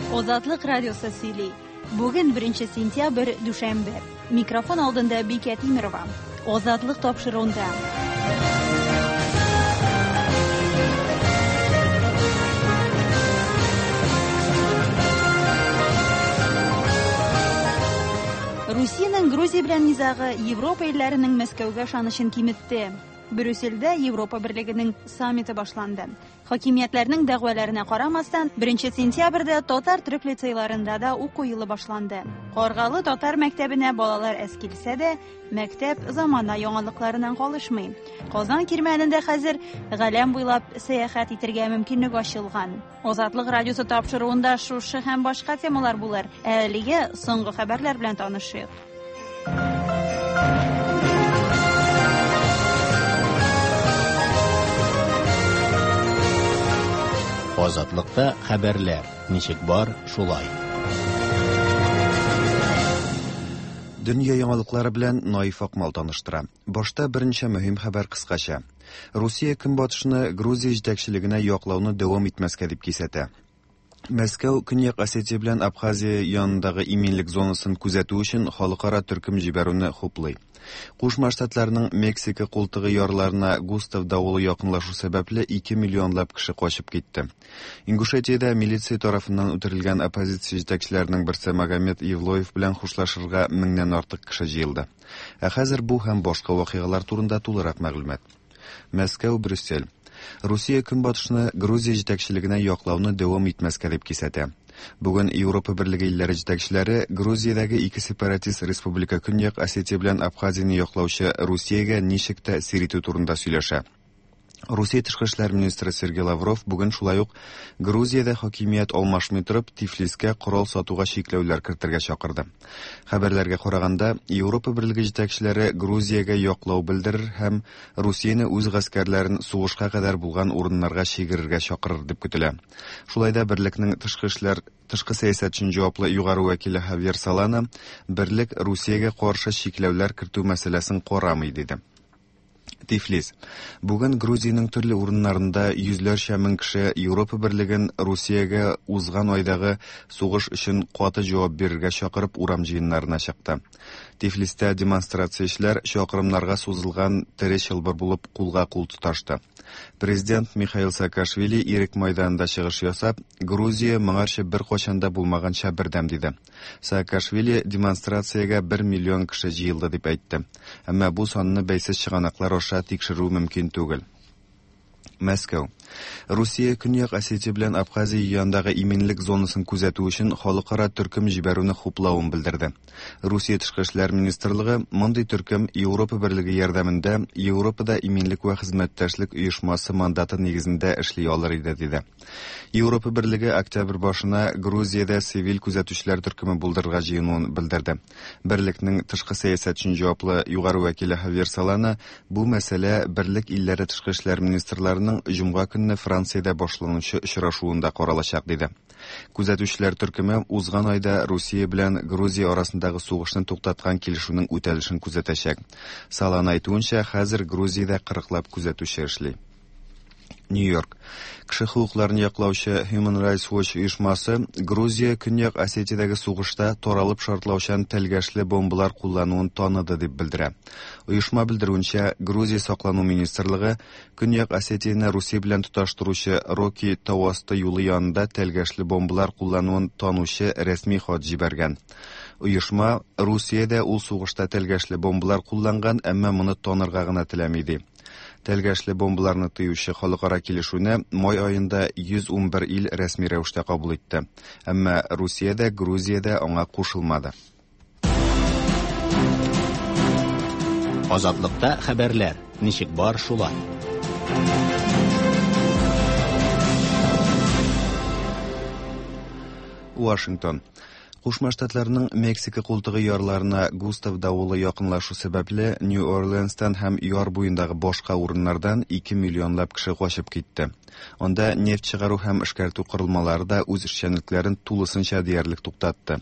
Азатлык радиосы сөйли. Бүген 1 сентябрь, дүшәмбе. Микрофон алдында Бикә Тимерова. Азатлык тапшыруында. Русиянең Грузия белән низагы Европа илләренең Мәскәүгә ышанычын киметте. Брюссельдә Европа Берлегенең саммиты башланды. Хакимиятләрнең дәгъваларына карамастан, 1 сентябрьдә татар-төрек лицейларында да уку елы башланды. Каргалы татар мәктәбенә балалар әз килсә дә, мәктәп замана яңалыкларыннан калышмый. Казан кирмәнендә хәзер галәм буйлап сәяхәт итергә мөмкинлек ачылган. Азатлык радиосы тапшыруында шушы һәм башка темалар булыр. Ә әлегә соңгы хәбәрләр белән танышыйк. Азатлыкта хәбәрләр ничек бар, шулай. Дөнья яңалыклары белән Наиф Акмал таныштыра. Башта берничә мөһим хәбәр кыскача. Русия Көнбатышны Грузия җитәкчелегенә яклауны дәвам итмәскә дип кисәтә. Мәскәү Көньяк Осетия белән Абхазия янындагы иминлек зонасын күзәтү өчен халыкара төркем җибәрүне хуплый. Кушма Штатларның Мексика култыгы ярларына Густав давылы якынлашу сәбәпле 2 миллионлап кеше качып китте. Ингушетиядә милиция тарафыннан үтерелгән оппозиция җитәкчеләренең берсе Магомед Евлоев белән хушлашырга меңнән артык кеше җыелды. Ә хәзер бу һәм башка вакыйгалар турында тулырак мәгълүмат. Мәскәү, Брюссель. Русия Көнбатышны Грузия җитәкчелегенә яклауны дәвам итмәскә дип кисәтә. Бүген Европа Берлеге илләре җитәкчеләре Грузиядәге ике сепаратист республика Көньяк Осетия белән Абхазияне яклаучы Русиягә ничек тәэсир итү турында сөйләшә. Русия тышкы эшләр министры Сергей Лавров бүген шулай ук Грузиядә хакимият алмашмый торып Тифлискә корал сатуга чикләүләр кертергә чакырды. Хәбәрләргә караганда, Европа Берлеге җитәкчеләре Грузиягә яклау белдерер һәм Русияне үз гаскәрләрен сугышка кадәр булган урыннарга чигерергә чакырыр дип көтелә. Шулай да берлекнең тышкы эшләр тышкы сәясәт өчен җаваплы югары вәкиле Хавьер Солана берлек Русиягә каршы чикләүләр кертү мәсьәләсен карамый диде. Тифлис. Бүген Грузиянең төрле урыннарында йөзләрчә мең кеше Европа Берлеген Русиягә узган айдагы сугыш өчен каты җавап бирергә чакырып урам җыеннарына чыкты. Тифлистә демонстрациячеләр чакрымнарга сузылган тере чылбыр булып кулга-кул тоташты. Президент Михаил Саакашвили Ирек майданында чыгыш ясап, Грузия моңарчы беркайчан да булмаганча бердәм диде. Саакашвили демонстрациягә бер миллион кеше җыелды дип әйтте. Әмма бу санны бәйсез чыганаклар аша тикшерү мөмкин түгел. Мәскәү. Русия Көньяк Осетия белән Абхазия янындагы иминлек зонасын күзәтү өчен халыкара төркем җибәрүне хуплавын белдерде. Русия Тышкы эшләр министрлыгы мондый төркем Европа Берлеге ярдәмендә Европада иминлек вә хезмәттәшлек оешмасы мандаты нигезендә эшли алыр иде, диде. Европа Берлеге октябрь башына Грузиядә цивиль күзәтүчеләр төркеме булдырырга җыенуын белдерде. Берлекнең тышкы сәясәт өчен җаваплы югары вәкиле Хавьер Солана бу мәсьәлә Берлек илләре тышкы эшләр министрларының җомга көнне Франциядә башланучы очрашуында каралачак, диде. Күзәтүчеләр төркеме узган айда Русия белән Грузия арасындагы сугышны туктаткан килешүнең үтәлешен күзәтәчәк. Солана әйтүенчә, хәзер Грузиядә кырыклап күзәтүче эшли. Нью-Йорк. Кеше хокукларын яклаучы Human Rights Watch оешмасы Грузия Көньяк Осетиядәге сугышта таралып шартлаучан тәлгәшле бомбалар куллануын таныды дип белдерә. Оешма белдерүенчә, Грузия саклану министрлыгы Көньяк Осетияне Русия белән тоташтыручы Роки тау асты юлы янында тәлгәшле бомбалар куллануын танучы рәсми хат җибәргән. Оешма Русиядә ул сугышта тәлгәшле бомбалар кулланган, әмма моны танырга гына теләми ди. Тәлгәшле бомбаларны тыючы халыкара килешүне май аенда 111 ил рәсми рәвештә кабул итте. Әмма Русия дә, Грузия дә аңа кушылмады. Азатлыкта хәбәрләр ничек бар шулай. Вашингтон. Кушма Штатларның Мексика култыгы ярларына Густав давылы якынлашу сәбәпле, Нью-Орлеанстан һәм яр буендагы башка урыннардан 2 миллионлап кеше качып китте. Анда нефть чыгару һәм эшкәртү корылмалары да үз эшчәнлекләрен тулысынча диярлек туктатты.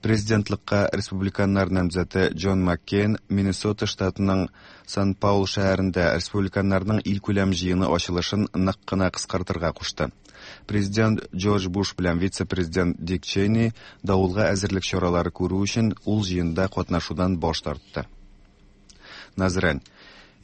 Президентлыкка республиканнар намзәте Джон Маккейн Миннесота штатының Сан-Паул шәһәрендә республиканнарның илкүләм җыены ачылышын нык кына кыскартырга кушты. Президент Джордж Буш белән вице-президент Дик Чейни давылга әзерлек чаралары күрү өчен ул җыенда катнашудан баш тартты. Назрань.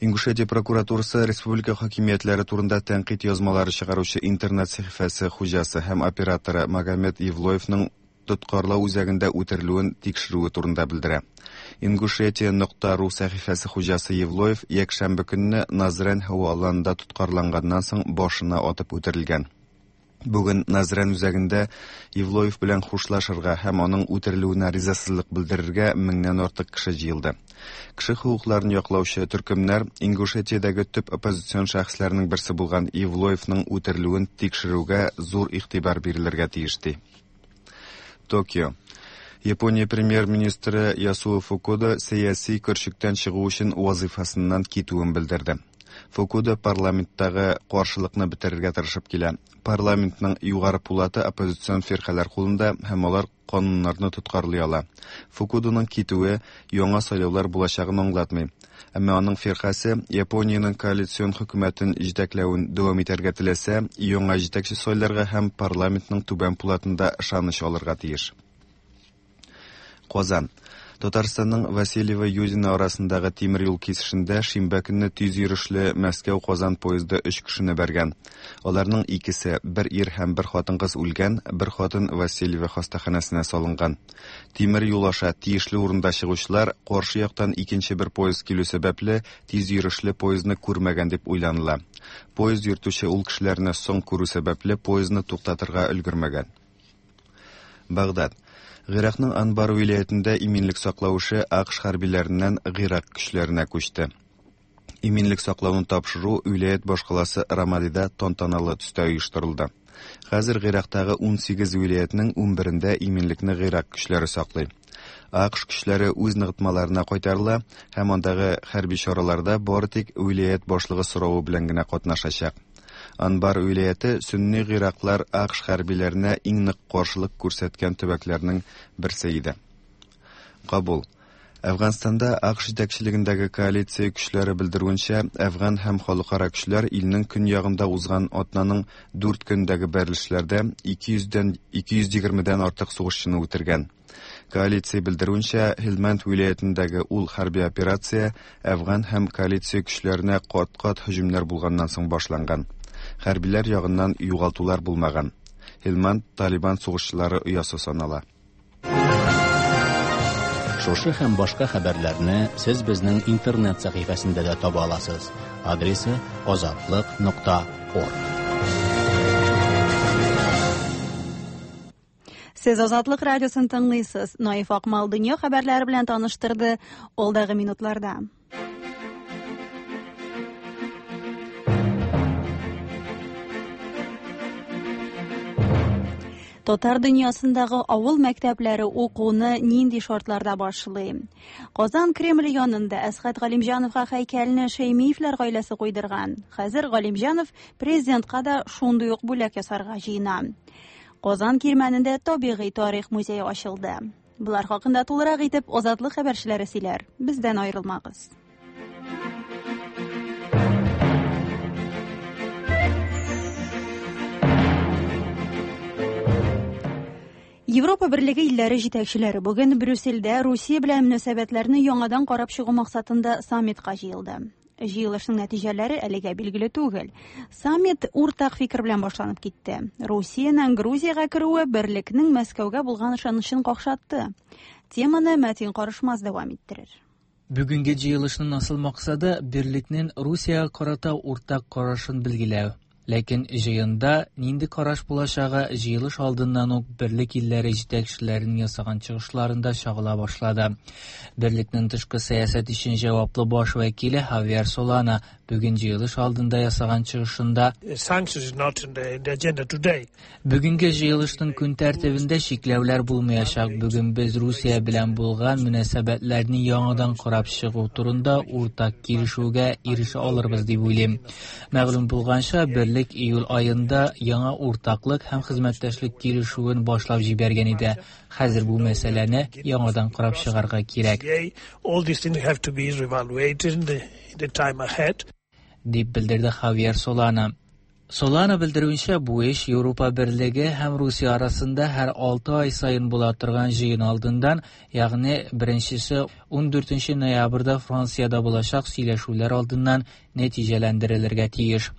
Ингушетия прокуратурасы республика хакимиятләре турында тәнкыйть язмалары чыгаручы интернет сәхифәсе хуҗасы һәм операторы Магомед Евлоевның тоткарлау үзәгендә үтерелүен тикшерүе турында белдерә. Ингушетия нокта ру сәхифәсе хуҗасы Евлоев якшәмбе көнне Назрань һава аланында тоткарланганнан соң башына атып үтерелгән. Бүген Назран үзәгендә Евлоев белән хушлашырга һәм аның үтерелүенә ризасызлык белдерергә меңнән артык кеше җыелды. Кеше хокукларын яклаучы төркемнәр Ингушетиядәге төп оппозицион шәхесләрнең берсе булган Евлоевның үтерелүен тикшерүгә зур игътибар бирелергә тиеш ди. Токио. Япония премьер-министры Ясуо Фукуда сәяси көрчектән чыгу өчен вазыйфасыннан китүен белдерде. Фукуда парламенттагы каршылыкны бетерергә тырышып килә. Парламентның югары пулаты оппозицион фиркаләр кулында һәм алар кануннарны тоткарлый ала. Фукуданың китүе яңа сайлаулар булачагын аңлатмый. Әмма аның фиркасе Япониянең коалицион хөкүмәтен җитәкләвен дәвам итәргә теләсә, яңа җитәкче сайларга һәм парламентның түбән пулатында ышаныч алырга тиеш. Казан. Татарстанның Васильево-Юдино арасындагы тимер юл кисешендә шимбә көнне тиз йөрешле Мәскәү-Казан поезды өч кешене бәргән. Аларның икесе, бер ир һәм бер хатын-кыз үлгән, бер хатын Васильево хастаханәсенә салынган. Тимер юл аша тиешле урында чыгучылар каршы яктан икенче бер поезд килү сәбәпле тиз йөрешле поездны күрмәгән дип уйланыла. Поезд йөртүче ул кешеләрне соң күрү сәбәпле поездны туктатырга өлгермәгән. Багдад. Гыйракның Анбар вилаятендә иминлек саклау эше АКШ хәрбиләреннән Гыйрак көчләренә күчте. Иминлек саклауны тапшыру вилаять башкаласы Рамадида тантаналы төстә оештырылды. Хәзер Гыйрактагы 18 вилаятның 11-ндә иминлекне Гыйрак көчләре саклый. АКШ көчләре үз ныгытмаларына кайтарыла һәм андагы хәрби чараларда бары тик вилаять башлыгы соравы белән генә катнашачак. Анбар вилаяте сөнни гыйраклар АКШ хәрбиләренә иң нык каршылык күрсәткән төбәкләрнең берсе иде. Кабул. Әфганстанда АКШ җитәкчелегендәге коалиция көчләре белдерүенчә, әфган һәм халыкара көчләр илнең көньягында узган атнаның 4 көндәге бәрелешләрдә 200дән 220дән артык сугышчыны үтергән. Коалиция белдерүенчә, Һилмәнд вилаятендәге ул хәрби операция әфган һәм коалиция көчләренә кат-кат һөҗүмнәр булганнан соң башланган. Хәрбиләр ягыннан югалтулар булмаган. Һилмәнд Талибан сугышчылары оясы санала. Шушы һәм башка хәбәрләрне сез безнең интернет сәхифәсендә дә таба аласыз. Адресы azatliq.org. Сез Азатлык радиосын тыңлыйсыз. Наиф Акмал дөнья хәбәрләре белән таныштырды алдагы минутларда. Татар дөньясындагы авыл мәктәпләре укуны нинди шартларда башлый? Казан Кремле янында Әсхәт Галимҗановга һәйкәлне Шәймиевләр гаиләсе куйдырган. Хәзер Галимҗанов президентка да шундый ук бүләк ясарга җыена. Казан Кирмәнендә табигый тарих музее ачылды. Болар хакында тулырак итеп Азатлык хәбәрчеләре сөйләр. Бездән аерылмагыз. Европа Берлеге илләре җитәкчеләре бүген Брюссельдә Русия белән мөнәсәбәтләрне яңадан карап чыгу максатында саммитка җыелды. Җыелышның нәтиҗәләре әлегә билгеле түгел. Саммит уртак фикер белән башланып китте. Русиянең Грузиягә керүе берлекнең Мәскәүгә булган ышанычын какшатты. Теманы Мәтин Карышмаз дәвам иттерер. Бүгенге җыелышның асыл максаты берлекнең Русиягә карата уртак карашын билгеләү. Ләкин җыенда нинди караш булачагы җыелыш алдыннан ук берлек илләре җитәкчеләренең ясаган чыгышларында чагыла башлады. Берлекнең тышкы сәясәт өчен җаваплы баш вәкиле Хавьер Солана бүген җыелыш алдында ясаган чыгышында Бүгенге җыелышның көн тәртибендә чикләүләр булмаячак. Бүген без Русия белән булган мөнәсәбәтләрне яңадан карап чыгу турында уртак килешүгә ирешә алырбыз дип уйлыйм. Мәгълүм булганча, берлек июль аенда яңа уртаклык һәм хезмәттәшлек килешүен башлап җибәргән иде. Хәзер бу мәсьәләне яңадан карап чыгарга кирәк. Дип белдерде Хавьер Солана. Солана белдерүенчә, бу эш Европа Берлеге һәм Русия арасында һәр 6 ай саен була торган җыен алдыннан, ягъни беренчесе 14 ноябрьдә Франциядә булачак сөйләшүләр алдыннан нәтиҗәләндерелергә тиеш.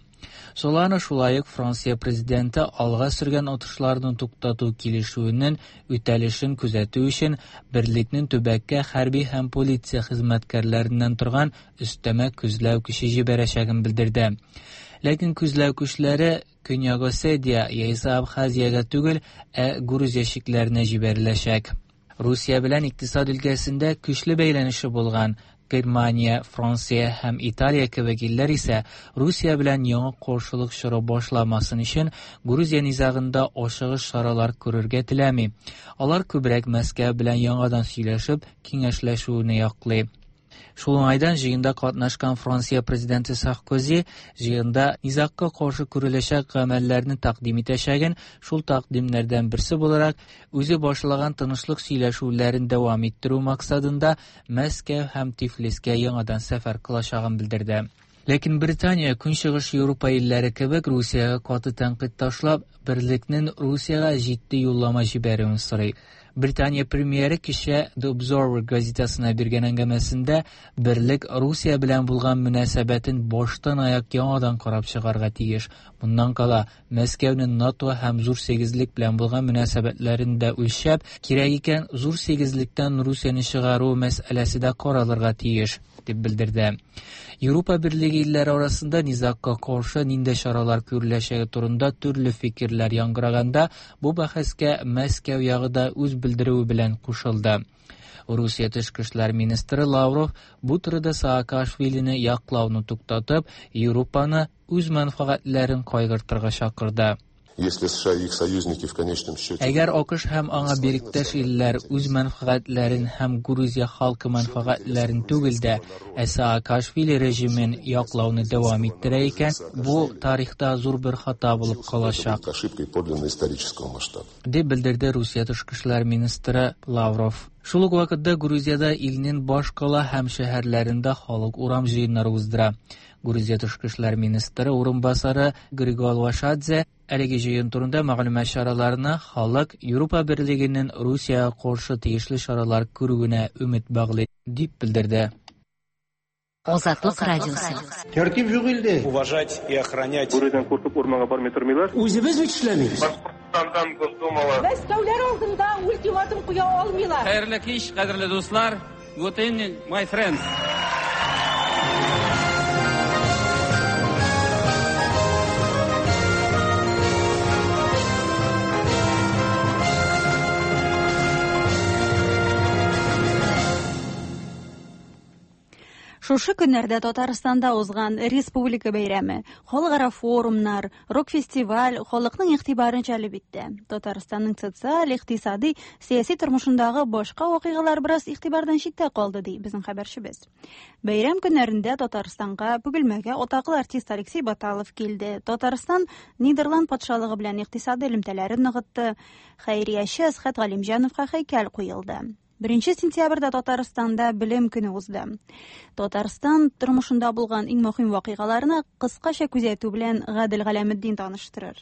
Солана шулай ук Франция президенты алга сөргән отышларны туктату килешүенең үтәлешен күзәтү өчен берлекнең төбәккә хәрби һәм полиция хезмәткәрләреннән торган өстәмә күзләү көче җибәрәчәген белдерде. Ләкин күзләү көчләре Көньяк Осетия яисә Абхазиягә түгел, ә Грузия чикләренә җибәреләчәк. Русия белән икътисад өлкәсендә көчле бәйләнеше булган Германия, Франция һәм Италия кебек илләр исә Русия белән яңа каршылык чоры башламасын өчен Грузия низагында ашыгыч чаралар күрергә теләми. Алар күбрәк Мәскәү белән яңадан сөйләшеп, киңәшләшүне яклый. Шул уңайдан җыенда катнашкан Франция президенты Саркози җыенда низагка каршы күреләчәк гамәлләрне тәкъдим итәчәген, шул тәкъдимнәрдән берсе буларак, үзе башлаган тынычлык сөйләшүләрен дәвам иттерү максатында Мәскәү һәм Тифлискә яңадан сәфәр кылачагын белдерде. Ләкин Британия, Көнчыгыш Европа илләре кебек, Русиягә каты тәнкыйть ташлап, берлекнең Русиягә җитди юллама җибәрүен сорый. Британия премьеры кичә The Observer газетасына биргән әңгәмәсендә берлек Русия белән булган мөнәсәбәтен баштан аяк яңадан карап чыгарга тиеш. Моннан кала, Мәскәүнең НАТО һәм Зур сигезлек белән булган мөнәсәбәтләрен дә үлчәп, кирәк икән, Зур сигезлектән Русияне чыгару мәсьәләсе дә каралырга тиеш, дип белдерде. Европа Берлеге илләре арасында низагка каршы нинди чаралар күреләчәге турында төрле фикерләр яңгыраганда, бу бәхәскә Мәскәү ягы да үз белдерүе белән кушылды. Русия тышкы эшләр министры Лавров бу турыда Саакашвилины яклауны туктатып, Европаны үз мәнфәгатьләрен кайгыртырга чакырды. Если США и их союзники в конечном счете... Әгәр АКШ һәм аңа бириктәш илләр үз мәнфәгатьләрен һәм Грузия халкы мәнфәгатьләрен түгел дә, ә Саакашвили режимын яклауны дәвам иттерә икән, бу тарихта зур бер хата булып калачак. Ошибкой подлинно исторического масштаба. Дип белдерде Русия тышкы эшләр министры Лавров. Шул ук вакытта Грузиядә илнең башкала һәм шәһәрләрендә халык урам җыеннары уздыра. Грузия тышкы эшләр министры урынбасары Григол Вашадзе әлеге җыен турында мәгълүмат чараларына халык Европа Берлегенең Русиягә каршы тиешле чаралар күрүенә өмет баглый, дип белдерде. Азатлык радиосы. Тәртип юк илдә. Уважать и охранять. Бүредән куркып урманга бармый тормыйлар. Үзебез бит эшләмибез. Башкортстандан Госдумала. Мәскәүләр алдында ультиматум куя алмыйлар. Хәерле кич, кадерле дуслар. Good evening, my friends. Шушы көннәрдә Татарстанда узган республика бәйрәме, халыкара форумнар, рок-фестиваль халыкның игътибарын җәлеп итте. Татарстанның социаль, икътисади, сәяси тормышындагы башка вакыйгалар бераз игътибардан читтә калды, ди безнең хәбәрчебез. Бәйрәм көннәрендә Татарстанга Бөгелмәгә атаклы артист Алексей Баталов килде. Татарстан Нидерланд патшалыгы белән икътисади элемтәләрен ныгытты. Хәйрияче Әсхәт Галимҗановка һәйкәл куелды. 1 сентябрьдә Татарстанда белем көне узды. Татарстан тормышында булган иң мөһим вакыйгаларны кыскача күзәтү белән Гадел Галәметдин таныштырыр.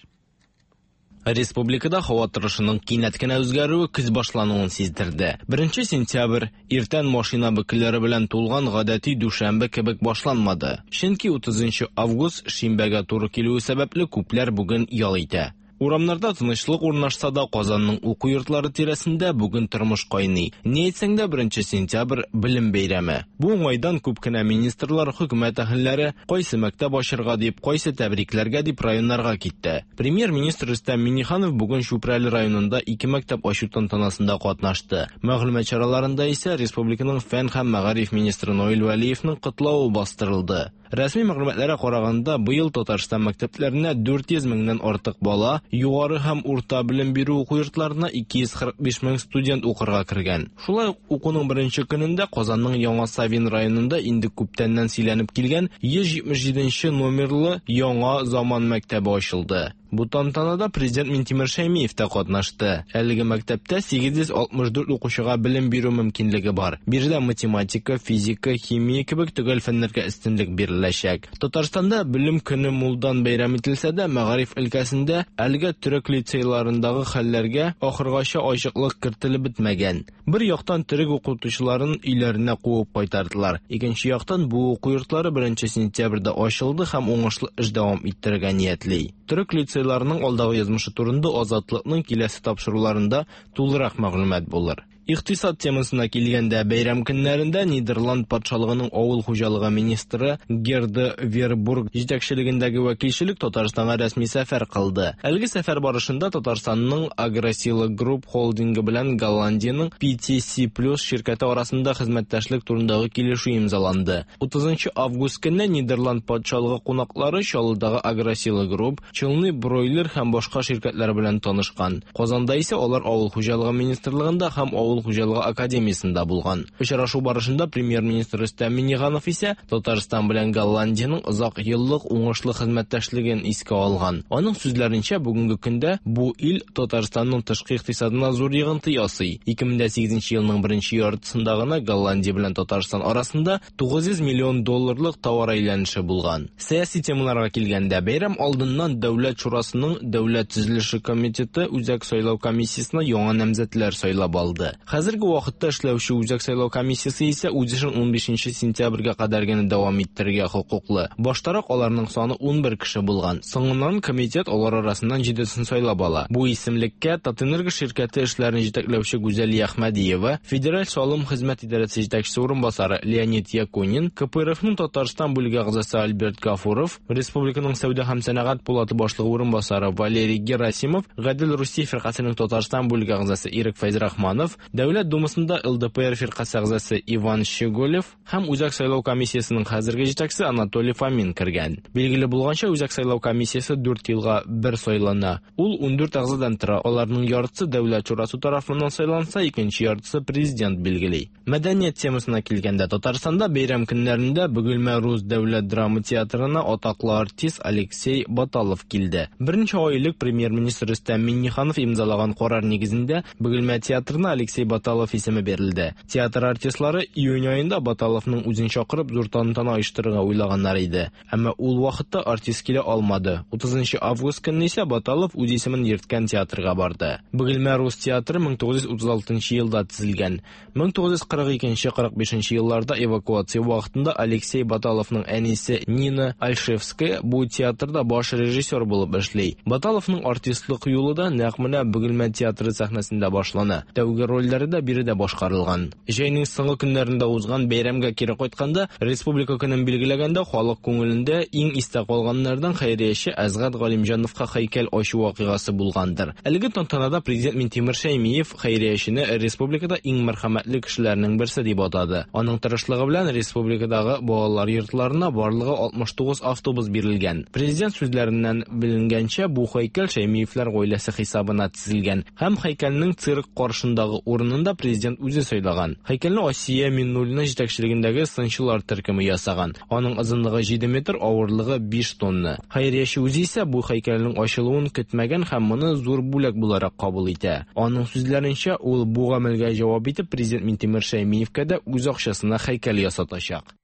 Республикада һава торышының кинәт кенә үзгәрүе көз башлануын сиздерде. 1 сентябрь иртән машина бөкеләре белән тулган гадәти дүшәмбе кебек башланмады. Чөнки 30 август шимбәгә туры килүе сәбәпле күпләр бүген ял итә. Урамнарда тынычлык урнашса да, Казанның уку йортлары тирәсендә бүген тормыш кайный. Ни әйтсәң дә, 1 сентябрь белем бәйрәме. Бу уңайдан күп кенә министрлар, хөкүмәт әһелләре кайсы мәктәп ачырга дип, кайсы тәбрикләргә дип районнарга китте. Премьер-министр Рөстәм Миңнеханов бүген Чүпрәле районында ике мәктәп ачу тантанасында катнашты. Мәгълүмат чараларында исә республиканың фән һәм мәгариф министры Наил Вәлиевның котлавы бастырылды. Рәсми мәгълүматларга караганда, быел Татарстан мәктәпләренә 400 меңнән артык бала, югары һәм урта белем бирү уку йортларына 245 мең студент укырга кергән. Шулай ук укуның беренче көнендә Казанның Яңа Савин районында инде күптәннән сөйләнеп килгән 177 номерлы яңа заман мәктәбе ачылды. Бу тантанада президент Минтимер Шәймиев та катнашты. Әлеге мәктәптә 864 укучыга белем бирү мөмкинлеге бар. Биредә математика, физика, химия кебек төгәл фәннәргә өстенлек биреләчәк. Татарстанда белем көне мулдан бәйрәм ителсә дә, мәгариф өлкәсендә әлегә төрек лицейларындагы хәлләргә ахыргача ачыклык кертелеп бетмәгән. Бер яктан төрек укытучыларын өйләренә куып кайтардылар. Икенче яктан бу уку йортлары 1 сентябрьдә ачылды һәм уңышлы эш дәвам иттерергә ниятли. Төрек лицейларының алдагы язмышы турында Азатлыкның киләсе тапшыруларында тулырак мәгълүмат булыр. Икътисад темасына килгәндә, бәйрәм көннәрендә Нидерланд патшалыгының авыл хуҗалыгы министры Герда Вербург җитәкчелегендәге вәкилчелек Татарстанга рәсми сәфәр кылды. Әлеге сәфәр барышында Татарстанның Агросила Групп холдингы белән Голландиянең PTC Plus ширкәте арасында хезмәттәшлек турындагы килешү имзаланды. 30 август көнне Нидерланд патшалыгы кунаклары Чаллыдагы Агросила Групп, Челны Бройлер һәм башка ширкәтләр белән танышкан. Казанда исә алар Авыл хуҗалыгы министрлыгында һәм Авыл хуҗалыгы академиясендә булган. Очрашу барышында премьер-министр Рөстәм Миңнеханов исә Татарстан белән Голландиянең озак еллык уңышлы хезмәттәшлеген искә алган. Аның сүзләренчә, бүгенге көндә бу ил Татарстанның тышкы икътисадына зур йогынты ясый. 2008 елның беренче яртысында гына Голландия белән Татарстан арасында 900 миллион долларлык товар әйләнеше булган. Сәяси темаларга килгәндә, бәйрәм алдыннан Дәүләт шурасының Дәүләт төзелеше комитеты Үзәк сайлау комиссиясенә яңа намзәтләр сайлап алды. Хәзерге вакытта эшләүче Үзәк сайлау комиссиясе исә үз эшен 15 сентябрьгә кадәр генә дәвам иттерергә хокуклы. Баштарак аларның саны 11 кеше булган. Соңыннан комитет алар арасыннан җидесен сайлап ала. Бу исемлеккә Татэнерго ширкәте эшләрен җитәкләүче Гүзәлия Әхмәдиева, Федераль салым хезмәт идарәсе җитәкчесе урынбасары Леонид Якунин, КПРФның Татарстан бүлеге әгъзасы Альберт Гафуров, республиканың сәүдә һәм сәнәгать пулаты башлыгы урынбасары Валерий Герасимов, Гадел Русия фиркасенең Татарстан бүлеге әгъзасы Ирек Фәйзрахманов, Дәүләт Думасында ЛДПР фиркасе әгъзасы Иван Щеголев һәм Үзәк сайлау комиссиясенең хәзерге җитәкчесе Анатолий Фомин кергән. Билгеле булганча, Үзәк сайлау комиссиясе 4 елга бер сайлана. Ул 14 әгъзадан тора, аларның яртысы Дәүләт шурасы тарафыннан сайланса, икенче яртысы президент билгели. Мәдәният темасына килгәндә, Татарстанда бәйрәм көннәрендә Бөгелмә рус дәүләт драма театрына атаклы артист Алексей Баталов килде. Берничә ай элек премьер-министр Рөстәм Миңнеханов имзалаган карар нигезендә Бөгелмә театрына Алексей Баталов исеме бирелде. Театр артистлары июнь аенда Баталовның үзен чакырып зур тантана оештырырга уйлаганнар иде. Әмма ул вакытта артист килә алмады. 30 август көнне исә Баталов үз исемен йөрткән театрга барды. Бөгелмә рус театры 1936 елда төзелгән. 1942-45 елларда эвакуация вакытында Алексей Баталовның әнисе Нина Альшевская бу театрда баш режиссер булып эшли. Баталовның артистлык юлы да нәкъ менә Бөгелмә театры сәхнәсендә башлана. Тәүге рольләре дә биредә башкарылган. Җәйнең соңгы көннәрендә узган бәйрәмгә кире кайтканда, Республика көнен билгеләгәндә халык күңелендә иң истә калганнардан хәйрияче Әсгать Галимҗановка һәйкәл ачу вакыйгасы булгандыр. Әлеге тантанада президент Минтимер Шәймиев хәйриячене республикада иң мәрхәмәтле кешеләрнең берсе дип атады. Аның тырышлыгы белән республикадагы балалар йортларына барлыгы 69 автобус бирелгән. Президент сүзләреннән беленгәнчә, бу һәйкәл Шәймиевләр гаиләсе хисабына төзелгән һәм һәйкәлнең цирк каршындагы урынын да президент үзе сайлаган. Һәйкәлне Асия Миннуллина җитәкчелегендәге сынчылар төркеме ясаган. Аның озынлыгы 7 метр, авырлыгы 5 тонна. Хәйрияче үзе исә бу һәйкәлнең ачылуын көтмәгән һәм моны зур бүләк буларак кабул итә. Аның сүзләренчә, ул бу гамәлгә җавап итеп президент Минтимер Шәймиевкә дә үз акчасына һәйкәл ясатачак.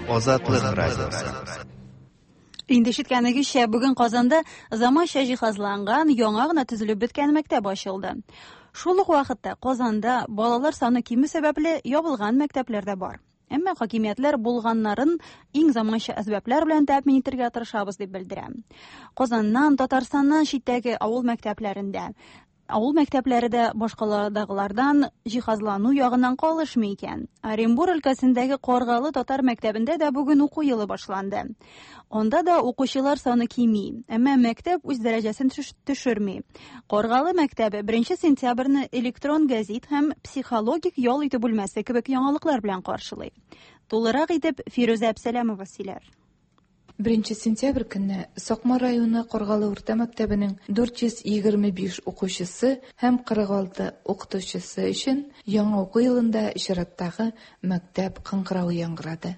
Азатлык радиосы. Инде ишеткәнегезчә, бүген Казанда заманча җиһазланган, яңа гына төзелеп беткән мәктәп ачылды. Шул ук вакытта Казанда балалар саны кимү сәбәпле ябылган мәктәпләр дә бар. Әмма хакимиятләр булганнарын иң заманча әсбаплар белән тәэмин итәргә тырышабыз дип белдерә. Казаннан, Татарстаннан читтәге авыл мәктәпләрендә авыл мәктәпләре дә башкаладагылардан җиһазлану ягыннан калышмый икән. Оренбур өлкәсендәге Каргалы татар мәктәбендә дә бүген уку елы башланды. Анда да укучылар саны кими, әмма мәктәп үз дәрәҗәсен төшерми. Каргалы мәктәбе 1 сентябрьне электрон гәзит һәм психологик ял итү бүлмәсе кебек яңалыклар белән каршылый. Тулырак итеп Фирүзә Әпсәләмова сөйләр. 1 сентябрь көнне Сакмар районы Каргалы урта мәктәбенең 425 укучысы һәм 46 укытучысы өчен яңа уку елында чираттагы мәктәп кыңгыравы яңгырады.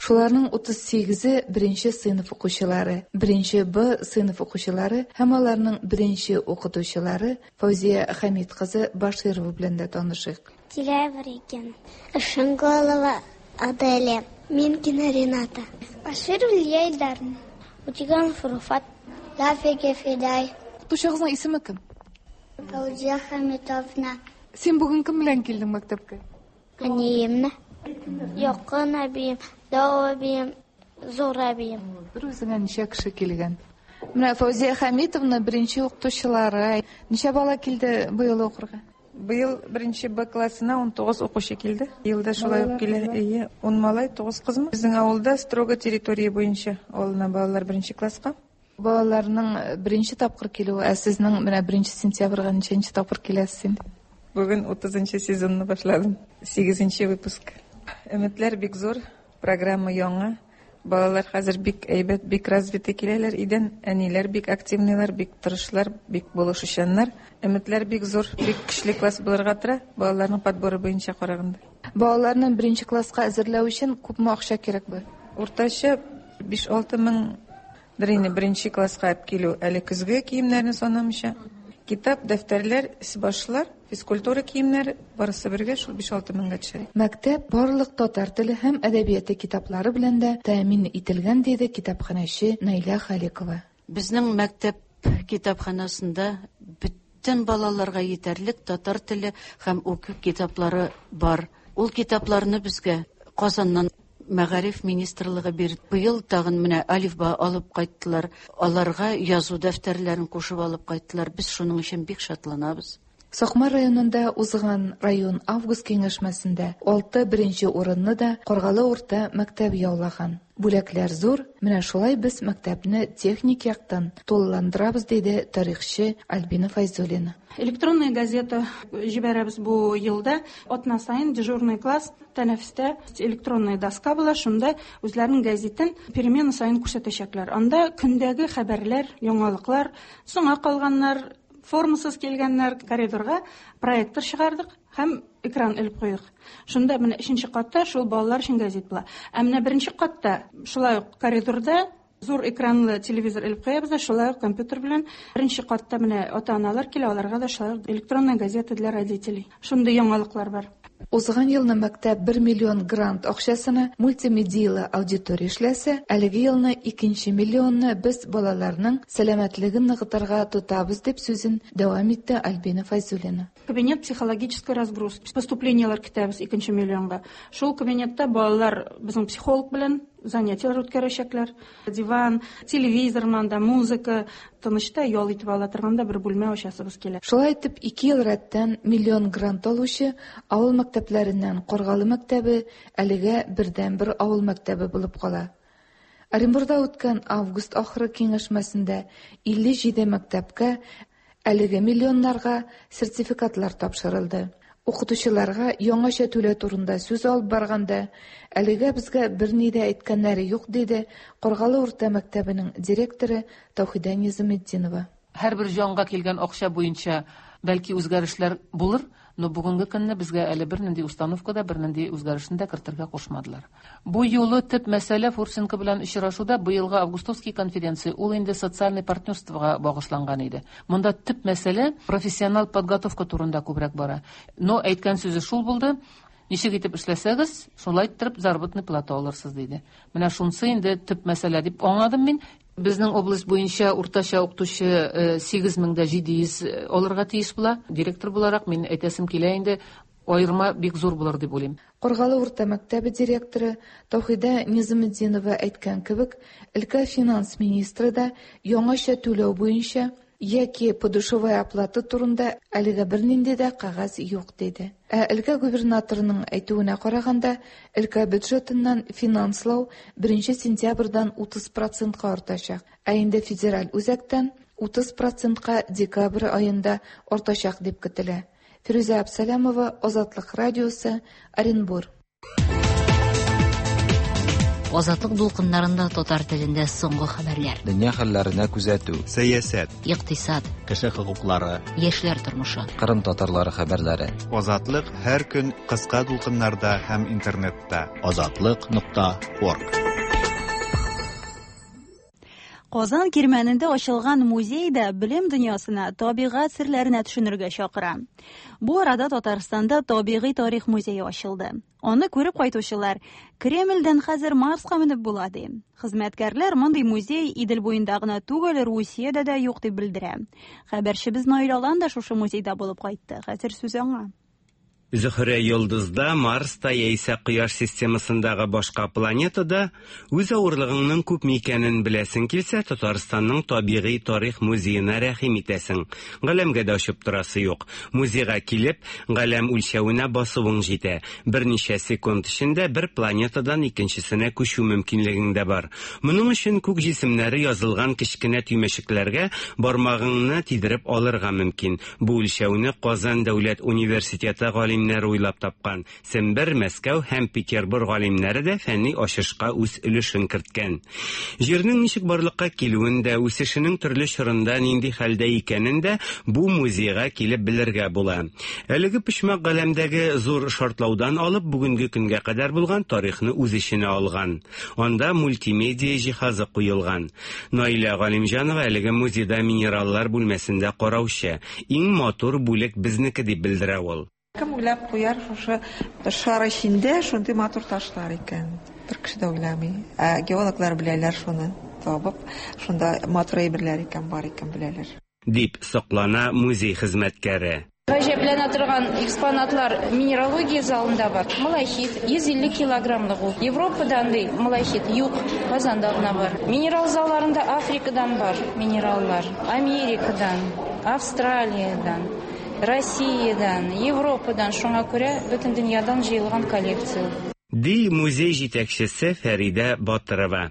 Шуларның 38-е беренче сыйныф укучылары, беренче Б сыйныф укучылары һәм аларның беренче укытучылары Фәүзия Хәмит кызы Баширова белән дә танышыйк. Тилаева Регина, Шанголова Аделя, Минкина Рената, Баширова Лилия Илдаровна, Утиганов Руфат, Гафиге Фидай. Укытучыгызның исеме кем? Фәүзия Хәмитовна. Син бүген кем белән килдең мәктәпкә? Әниемне. Якын әбием, дәү әбием, зур әбием. Бер үзеңә ничә кеше килгән? Менә Фәүзия Хәмитовна беренче укытучылары. Ничә бала килде быел укырга? Быел беренче Б классына 19 укучы килде. Елда шулай ук килә. Әйе, 10 малай, 9 кызмы. Безнең авылда строго территория буенча алына балалар беренче класска. Балаларның беренче тапкыр килүе, ә сезнең менә 1 сентябрьгә ничәнче тапкыр киләсез инде? Бүген 30 сезонны башладым. 8 выпуск. Өметләр бик зур, программа яңа. Балалар хәзер бик әйбәт, бик развитый киләләр өйдән. Әниләр бик активныйлар, бик тырышлар, бик булышучаннар. Өметләр бик зур, бик көчле класс булырга тора, балаларның подборы буенча караганда. Балаларны беренче класска әзерләү өчен күпме акча кирәк бу? Уртача 5-6 меңдер инде беренче класска алып килү, әле көзге киемнәрне санамыйча. Китап, дәфтәрләр, башлар, физкультура киемнәре барысы бергә шул 5-6 меңгә төшә. Мәктәп барлык татар теле һәм әдәбияты китаплары белән дә тәэмин ителгән, диде китапханәче Наилә Халикова. Безнең мәктәп китапханәсендә бөтен балаларга җитәрлек татар теле һәм уку китаплары бар. Ул китапларны безгә Казаннан Мәгариф министрлыгы бирде. Быел тагын менә алифба алып кайттылар. Аларга язу дәфтәрләрен кушып алып кайттылар. Без шуның өчен бик шатланабыз. Сакмар районында узган район август киңәшмәсендә 6 беренче урынны да Каргалы урта мәктәбе яулаган. Бүләкләр зур, менә шулай без мәктәпне техник яктан тулыландырабыз, диде тарихчы Альбина Файзуллина. Электронная газета җибәрәбез бу елда. Атна саен дежурный класс тәнәфестә электронная доска була, шунда үзләренең газетын перемена саен күрсәтәчәкләр. Анда көндәге хәбәрләр, яңалыклар, соңа калганнар, формасыз килгәннәр коридорга проектор чыгардык һәм экран элеп куйдык. Шунда менә өченче катта шул балалар өчен газет була. Ә менә беренче катта шулай ук коридорда зур экранлы телевизор элеп куябыз да, шулай ук компьютер белән. Беренче катта менә ата-аналар килә, аларга да шулай ук электронная газета для родителей. Шундый яңалыклар бар. Узган елны мәктәп 1 миллион грант акчасына мультимедиялы аудитория эшләсә, әлеге елны 2 миллионны без балаларның сәламәтлеген ныгытырга тотабыз, дип сүзен дәвам итте Альбина Файзуллина. Кабинет психологической разгрузки. Поступлениеләр көтәбез 2 миллионга. Шул кабинетта балалар безнең психолог белән занятияләр үткәрәчәкләр. Диван, телевизор монда, музыка, тынычта ял итеп ала торган да бер бүлмә ачасыбыз килә. Шулай итеп, 2 ел рәттән миллион грант алучы авыл мәктәпләреннән Каргалы мәктәбе әлегә бердәнбер авыл мәктәбе булып кала. Оренбурда үткән август ахыры киңәшмәсендә 57 мәктәпкә әлеге миллионнарга сертификатлар тапшырылды. Укытучыларга яңача түләү турында сүз алып барганда, әлегә безгә берни дә әйткәннәре юк, диде Каргалы урта мәктәбенең директоры Таухида Низаметдинова. Һәрбер җанга килгән акча буенча бәлки үзгәрешләр булыр, но бүгенге көнне безгә әле бернинди установка да, бернинди үзгәрешне дә кертергә кушмадылар. Бу юлы төп мәсьәлә Фурсенко белән очрашуда быелгы августовский конференция, ул инде социальный партнерствога багышланган иде. Монда төп мәсьәлә профессионал подготовка турында күбрәк бара. Но әйткән сүзе шул булды: ничек итеп эшләсәгез, шулай иттереп заработный плата алырсыз, диде. Менә шунысы инде төп мәсьәлә дип аңладым мин. Безнең область буенча уртача укытучы 8700 алырга тиеш була. Директор буларак мин әйтәсем килә инде, аерма бик зур булыр дип уйлыйм. Каргалы урта мәктәбе директоры Таухида Низаметдинова әйткән кебек, өлкә финанс министры да яңача түләү буенча яки подушевая оплата турында әлегә бернинди дә кәгазь юк, диде. Ә өлкә губернаторының әйтүенә караганда, өлкә бюджетыннан финанслау 1 сентябрьдән 30%-ка артачак, ә инде федераль үзәктән 30%-ка декабрь аенда артачак дип көтелә. Фирүзә Абсалямова, Азатлык радиосы, Оренбур. Азатлык дулкыннарында татар телендә соңгы хәбәрләр. Дөнья хәлләренә күзәтү. Сәясәт. Икътисад. Кеше хокуклары. Яшьләр тормышы. Кырым татарлары хәбәрләре. Азатлык һәр көн кыска дулкыннарда һәм интернетта. Азатлык.орг. Казан Кирмәнендә ачылган музей да белем дөньясына, табигать серләренә төшенергә чакыра. Бу арада Татарстанда табигый тарих музее ачылды. Аны күреп кайтучылар Кремльдән хәзер Марска менеп була ди. Хезмәткәрләр мондый музей Идел буенда гына түгел, Русиядә дә юк дип белдерә. Хәбәрчебез Наил Алан да шушы музейда булып кайтты. Хәзер сүз аңа. Зөһрә йолдызда, Марста яисә Кояш системасындагы башка планетада үз авырлыгыңның күпме икәнен беләсең килсә, Татарстанның табигый тарих музеена рәхим итәсең. Галәмгә дә очып торасы юк. Музейга килеп, галәм үлчәвенә басуың җитә. Берничә секунд эчендә бер планетадан икенчесенә күчү мөмкинлегең дә бар. Моның өчен күк җисемнәре язылган кечкенә төймәчекләргә бармагыңны тидереп алырга мөмкин. Бу үлчәүне Казан дәүләт университеты галимнәре уйлап тапкан. Сембер, Мәскәү һәм Петербург галимнәре дә фәнни ачышка үз өлешен керткән. Җирнең ничек барлыкка килүен дә, үсешенең төрле чорында нинди хәлдә икәнен дә бу музейга килеп белергә була. Әлеге почмак галәмдәге зур шартлаудан алып бүгенге көнгә кадәр булган тарихны үз эченә алган. Анда мультимедиа җиһазы куелган. Наилә Галимҗанова әлеге музейда минераллар бүлмәсендә караучы. Иң матур бүлек безнеке дип белдерә ул. Кем уйлап куяр шушы шар эчендә шундый матур ташлар икән? Бер кеше дә уйламый. Ә геологлар беләләр шуны табып, шунда матур әйберләр икән, бар икән беләләр. Дип соклана музей хезмәткәре. Гаҗәпләнә торган экспонатлар минералогия залында бар. Малахит 150 килограммлык ул. Европада андый малахит юк, Казанда гына бар. Минерал залларында Африкадан бар минераллар, Америкадан, Австралиядән, Россиядән, Европадан, шуңа күрә бөтен дөньядан җыелган коллекция. Ди музей җитәкчесе Фәридә Батырова.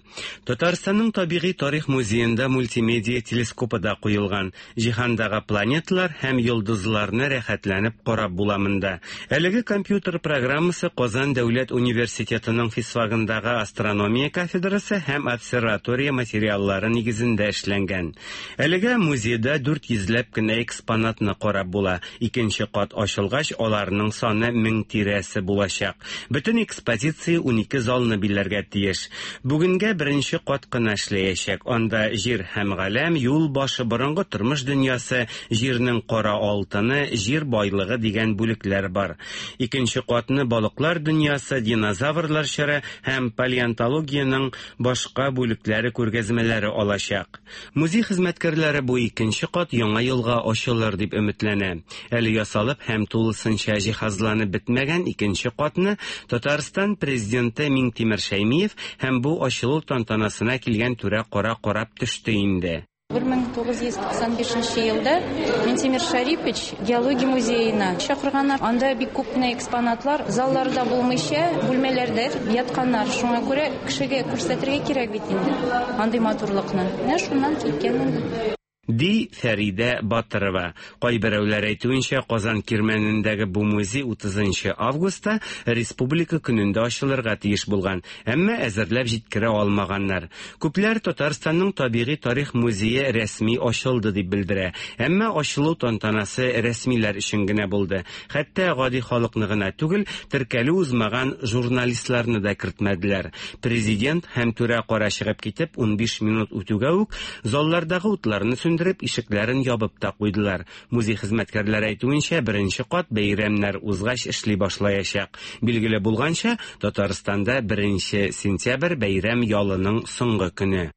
Татарстанның табигый тарих музеенда мультимедиа телескопы да куелган. Җиһандагы планеталар һәм йолдызларны рәхәтләнеп карап була монда. Әлеге компьютер программасы Казан дәүләт университетының физфагындагы астрономия кафедрасы һәм обсерватория материаллары нигезендә эшләнгән. Әлегә музейда 400 ләп кенә экспонатны карап була. Икенче кат ачылгач, аларның саны 1000 тирәсе булачак. Бөтен экспозиция 12 залны биләргә тиеш. Бүгенгә беренче кат кына эшләячәк. Анда җир һәм галәм, юл башы, борынгы тормыш дөньясы, җирнең кара алтыны, җир байлыгы дигән бүлекләр бар. Икенче катны балыклар дөньясы, динозаврлар чоры һәм палеонтологиянең башка бүлекләре күргәзмәләре алачак. Музей хезмәткәрләре бу икенче кат яңа елга ачылыр дип өметләнә. Әле ясалып һәм тулысынча җиһазланып бетмәгән икенче катны Татарстан президенты Миңтимер Шәймиев һәм бу ачылу тантанасына килгән түрә кара карап төште инде. 1995 елда Минтимер Шарипович геология музеена чакырганнар. Анда бик күп кенә экспонатлар залларда булмыйча, бүлмәләрдә ятканнар. Шуңа күрә кешегә күрсәтергә кирәк бит инде андый матурлыкны. Менә шуннан киткән инде. Ди Фәридә Батырова. Кайберәүләр әйтүенчә, Казан Кирмәнендәге бу музей 30 августта Республика көнендә ачылырга тиеш булган, әмма әзерләп җиткерә алмаганнар. Күпләр Татарстанның табигый тарих музее рәсми ачылды дип белдерә. Әмма ачылу тантанасы рәсмиләр өчен генә булды. Хәтта гади халыкны гына түгел, теркәлү узмаган журналистларны да кертмәделәр. Президент һәм түрә кара чыгып китеп, 15 минут үтүгә үк заллардагы утларны сүндереп, ишекләрен ябып та куйдылар. Музей хезмәткәрләре әйтүенчә, беренче кат бәйрәмнәр узгач эшли башлаячак. Билгеле булганча, Татарстанда 1 сентябрь бәйрәм ялының соңгы көне.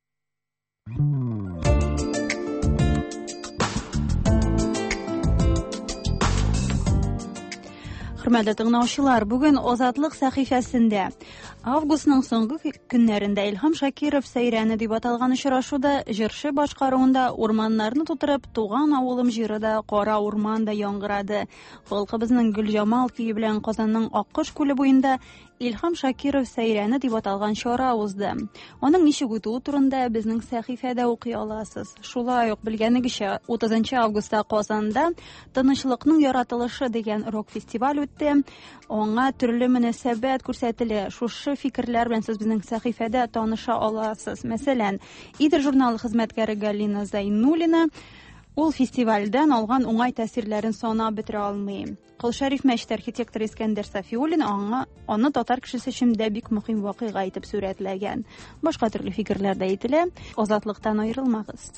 Хөрмәтле тыңлаучылар, бүген Азатлык сәхифәсендә августның соңгы көннәрендә Илһам Шакиров сәйрәне дип аталган очрашуда җырчы башкаруында урманнарны тутырып туган авылым җыры да, кара урман да яңгырады. Халкыбызның Гөлҗамал көе белән Казанның Аккош күле буенда Илһам Шакиров сәйрәне дип аталган чара узды. Аның ничек үтүе турында безнең сәхифәдә укый аласыз. Шулай ук белгәнегезчә, 30 августта Казанда Тынычлыкның яратылышы дигән рок-фестиваль үтте. Аңа төрле мөнәсәбәт күрсәтелә. Шушы фикерләр белән сез безнең сәхифәдә таныша аласыз. Мәсәлән, Идел журналы хезмәткәре Галина Зайнуллина ул фестивальдән алган уңай тәэсирләрен санап бетерә алмый. Кол Шәриф мәчете архитекторы Искәндәр Сафиуллин аңа аны татар кешесе өчен дә бик мөһим вакыйга итеп сурәтләгән. Башка төрле фикерләр дә әйтелә. Азатлыктан аерылмагыз.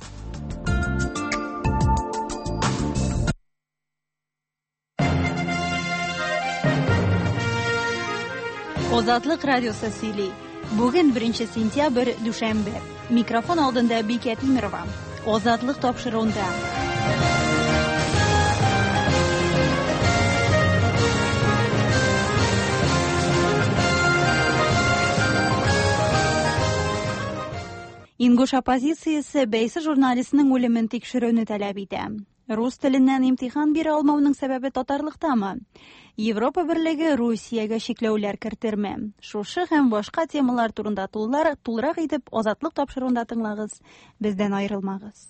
Азатлык радиосы сөйли. Бүген 1 сентябрь, дүшәмбе. Микрофон алдында Бикә Тимерова. Азатлык тапшыруында. Ингуш оппозициясе бәйсез журналистның үлемен тикшерүне таләп итә. Рус теленнән имтихан бирә алмауның сәбәбе татарлыктамы? Европа берлеге Русиягә чикләүләр кертерме? Шушы һәм башка темалар турында тулылар, тулырак итеп Азатлык тапшыруында тыңлагыз. Бездән аерылмагыз.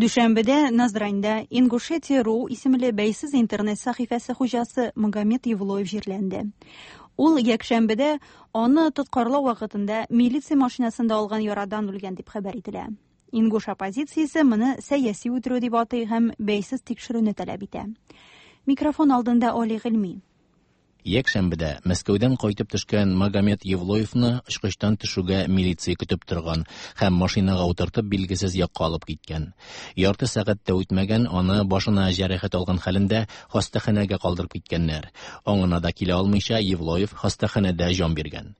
Дүшәмбедә Назраньда Ингушетия.ру исемле бәйсез интернет сәхифәсе хуҗасы Магомед Евлоев җирләнде. Ул якшәмбедә аны тоткарлау вакытында милиция машинасында алган ярадан үлгән дип хәбәр ителә. Ингуш оппозициясе моны сәяси үтерү дип атый һәм бәйсез тикшерүне таләп итә. Микрофон алдында Али Гыйльми. Якшәмбедә Мәскәүдән кайтып төшкән Магомед Евлоевны очкычтан төшүгә милиция көтеп торган һәм машинага утыртып билгесез якка алып киткән. Ярты сәгать тә үтмәгән, аны башына җәрәхәт алган хәлендә хастаханәгә калдырып киткәннәр. Аңына да килә алмыйча Евлоев хастаханәдә җан биргән.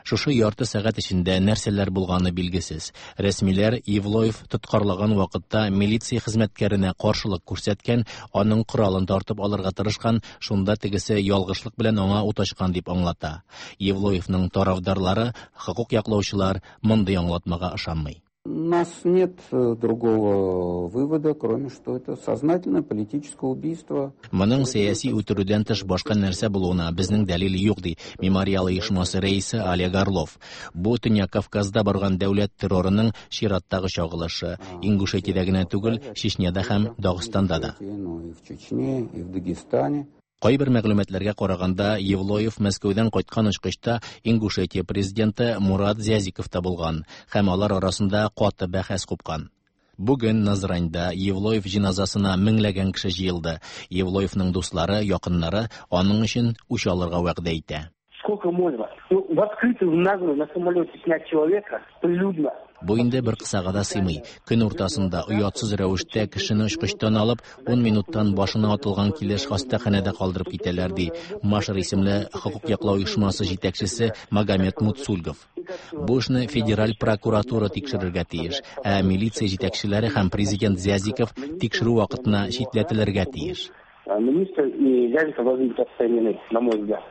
Шушы ярты сәгать эчендә нәрсәләр булганы билгесез. Рәсмиләр Евлоев тоткарлаган вакытта милиция хезмәткәренә каршылык күрсәткән, аның коралын тартып алырга тырышкан, шунда тегесе ялгышлык белән аңа ут ачкан дип аңлата. Евлоевның тарафдарлары, хокук яклаучылар мондый аңлатмага ышанмый. У нас нет э, другого вывода, кроме что это сознательное политическое убийство. Моның сәяси үтерүдән тыш башка нәрсә булуына безнең дәлил юк, ди Мемориал оешмасы рәисе Олег Орлов. Бу Төньяк Кавказда барган дәүләт террорының чираттагы чагылышы. Ингушетиядә генә түгел, Чечняда һәм Дагыстанда да. Ну и в Чечне, и в Дагестане. Кайбер мәгълүматларга караганда, Евлоев Мәскәүдән кайткан очкычта Ингушетия президенты Мурат Зязиков та булган һәм алар арасында каты бәхәс купкан. Бүген Назраньда Евлоев җеназасына меңләгән кеше җыелды. Евлоевның дуслары, якыннары аның өчен үч алырга вәгъдә итә. Сколько можно? Ну, в открытую, в наглую на самолете снять человека прилюдно. Бу инде бер кысага да сыймый. Көн уртасында оятсыз рәвештә кешене очкычтан алып, 10 минуттан башына атылган килеш хастаханәдә калдырып китәләр, ди Машер исемле хокук яклау оешмасы җитәкчесе Магомед Муцульгов. Бу эшне федераль прокуратура тикшерергә тиеш, ә милиция җитәкчеләре һәм президент Зязиков тикшерү вакытына читләтелергә тиеш. Министр и Зязиков должны быть отстранены, на мой взгляд.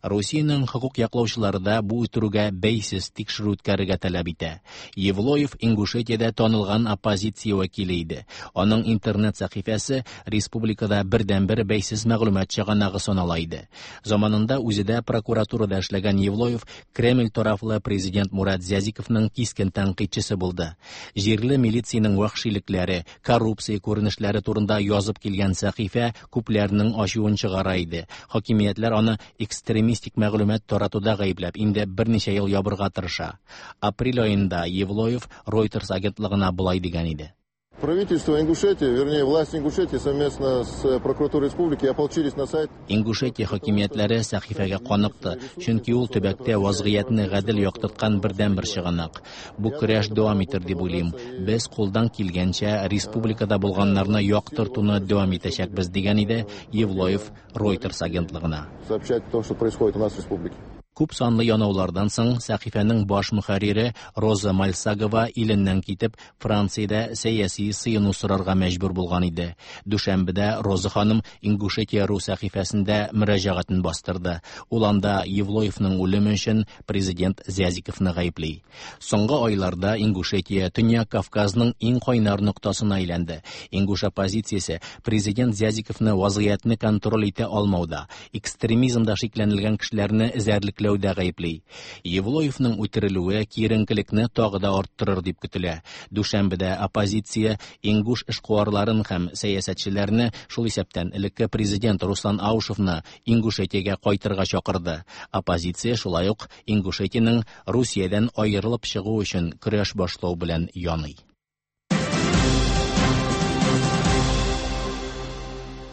Русиянең хокук яклаучылары да бу үтерүгә бәйсез тикшерү үткәрергә таләп итә. Евлоев Ингушетиядә танылган оппозиция вәкиле иде. Аның интернет сәхифәсе республикада бердәнбер бәйсез мәгълүмат чыганагы санала иде. Заманында үзе дә прокуратурада эшләгән Евлоев Кремль тарафлы президент Мурат Зязиковның кискен тәнкыйтьчесе булды. Җирле милициянең вәхшилекләре, коррупция күренешләре турында язып килгән сәхифә күпләрнең ачуын чыгара иде. Хакимиятләр аны экстремистик мәгълүмат таратуда гаепләп, инде берничә ел ябырга тырыша. Апрель аенда Евлоев Reuters агентлыгына болай дигән иде. Правительство Ингушетии, вернее, власть Ингушетии совместно с прокуратурой республики ополчились на сайт. Ингушетия хакимиятләре сәхифәгә каныкты, чөнки ул төбәктә вазгыятьне гадел яктырткан бердәнбер чыганак. Бу көрәш дәвам итер дип уйлыйм. Без кулдан килгәнчә республикада булганнарны яктыртуны дәвам итәчәкбез, дигән иде Евлоев Reuters агентлыгына. Сообщать то, что происходит у нас в республике. Күп санлы янаулардан соң сәхифәнең баш мөхәррире Роза Мальсагова иленнән китеп, Франциядә сәяси сыену сорарга мәҗбүр булган иде. Дүшәмбедә Роза ханым Ингушетия.ру сәхифәсендә мөрәҗәгатен бастырды. Ул анда Евлоевның үлеме өчен президент Зязиковны гаепли. Соңгы айларда Ингушетия Төньяк Кавказның иң кайнар ноктасына әйләнде. Ингуш оппозициясе президент Зязиковны вазгыятьне контроль итә алмауда, экстремизмда шикләнелгән кешеләрне эзәрлекләүдә гаепли. Евлоевның үтерелүе киеренкелекне тагы да арттырыр дип көтелә. Дүшәмбедә оппозиция ингуш эшкуарларын һәм сәясәтчеләрне, шул исәптән элекке президент Руслан Аушевны Ингушетиягә кайтырга чакырды. Оппозиция шулай ук Ингушетиянең Русиядән аерылып чыгу өчен көрәш башлау белән яный.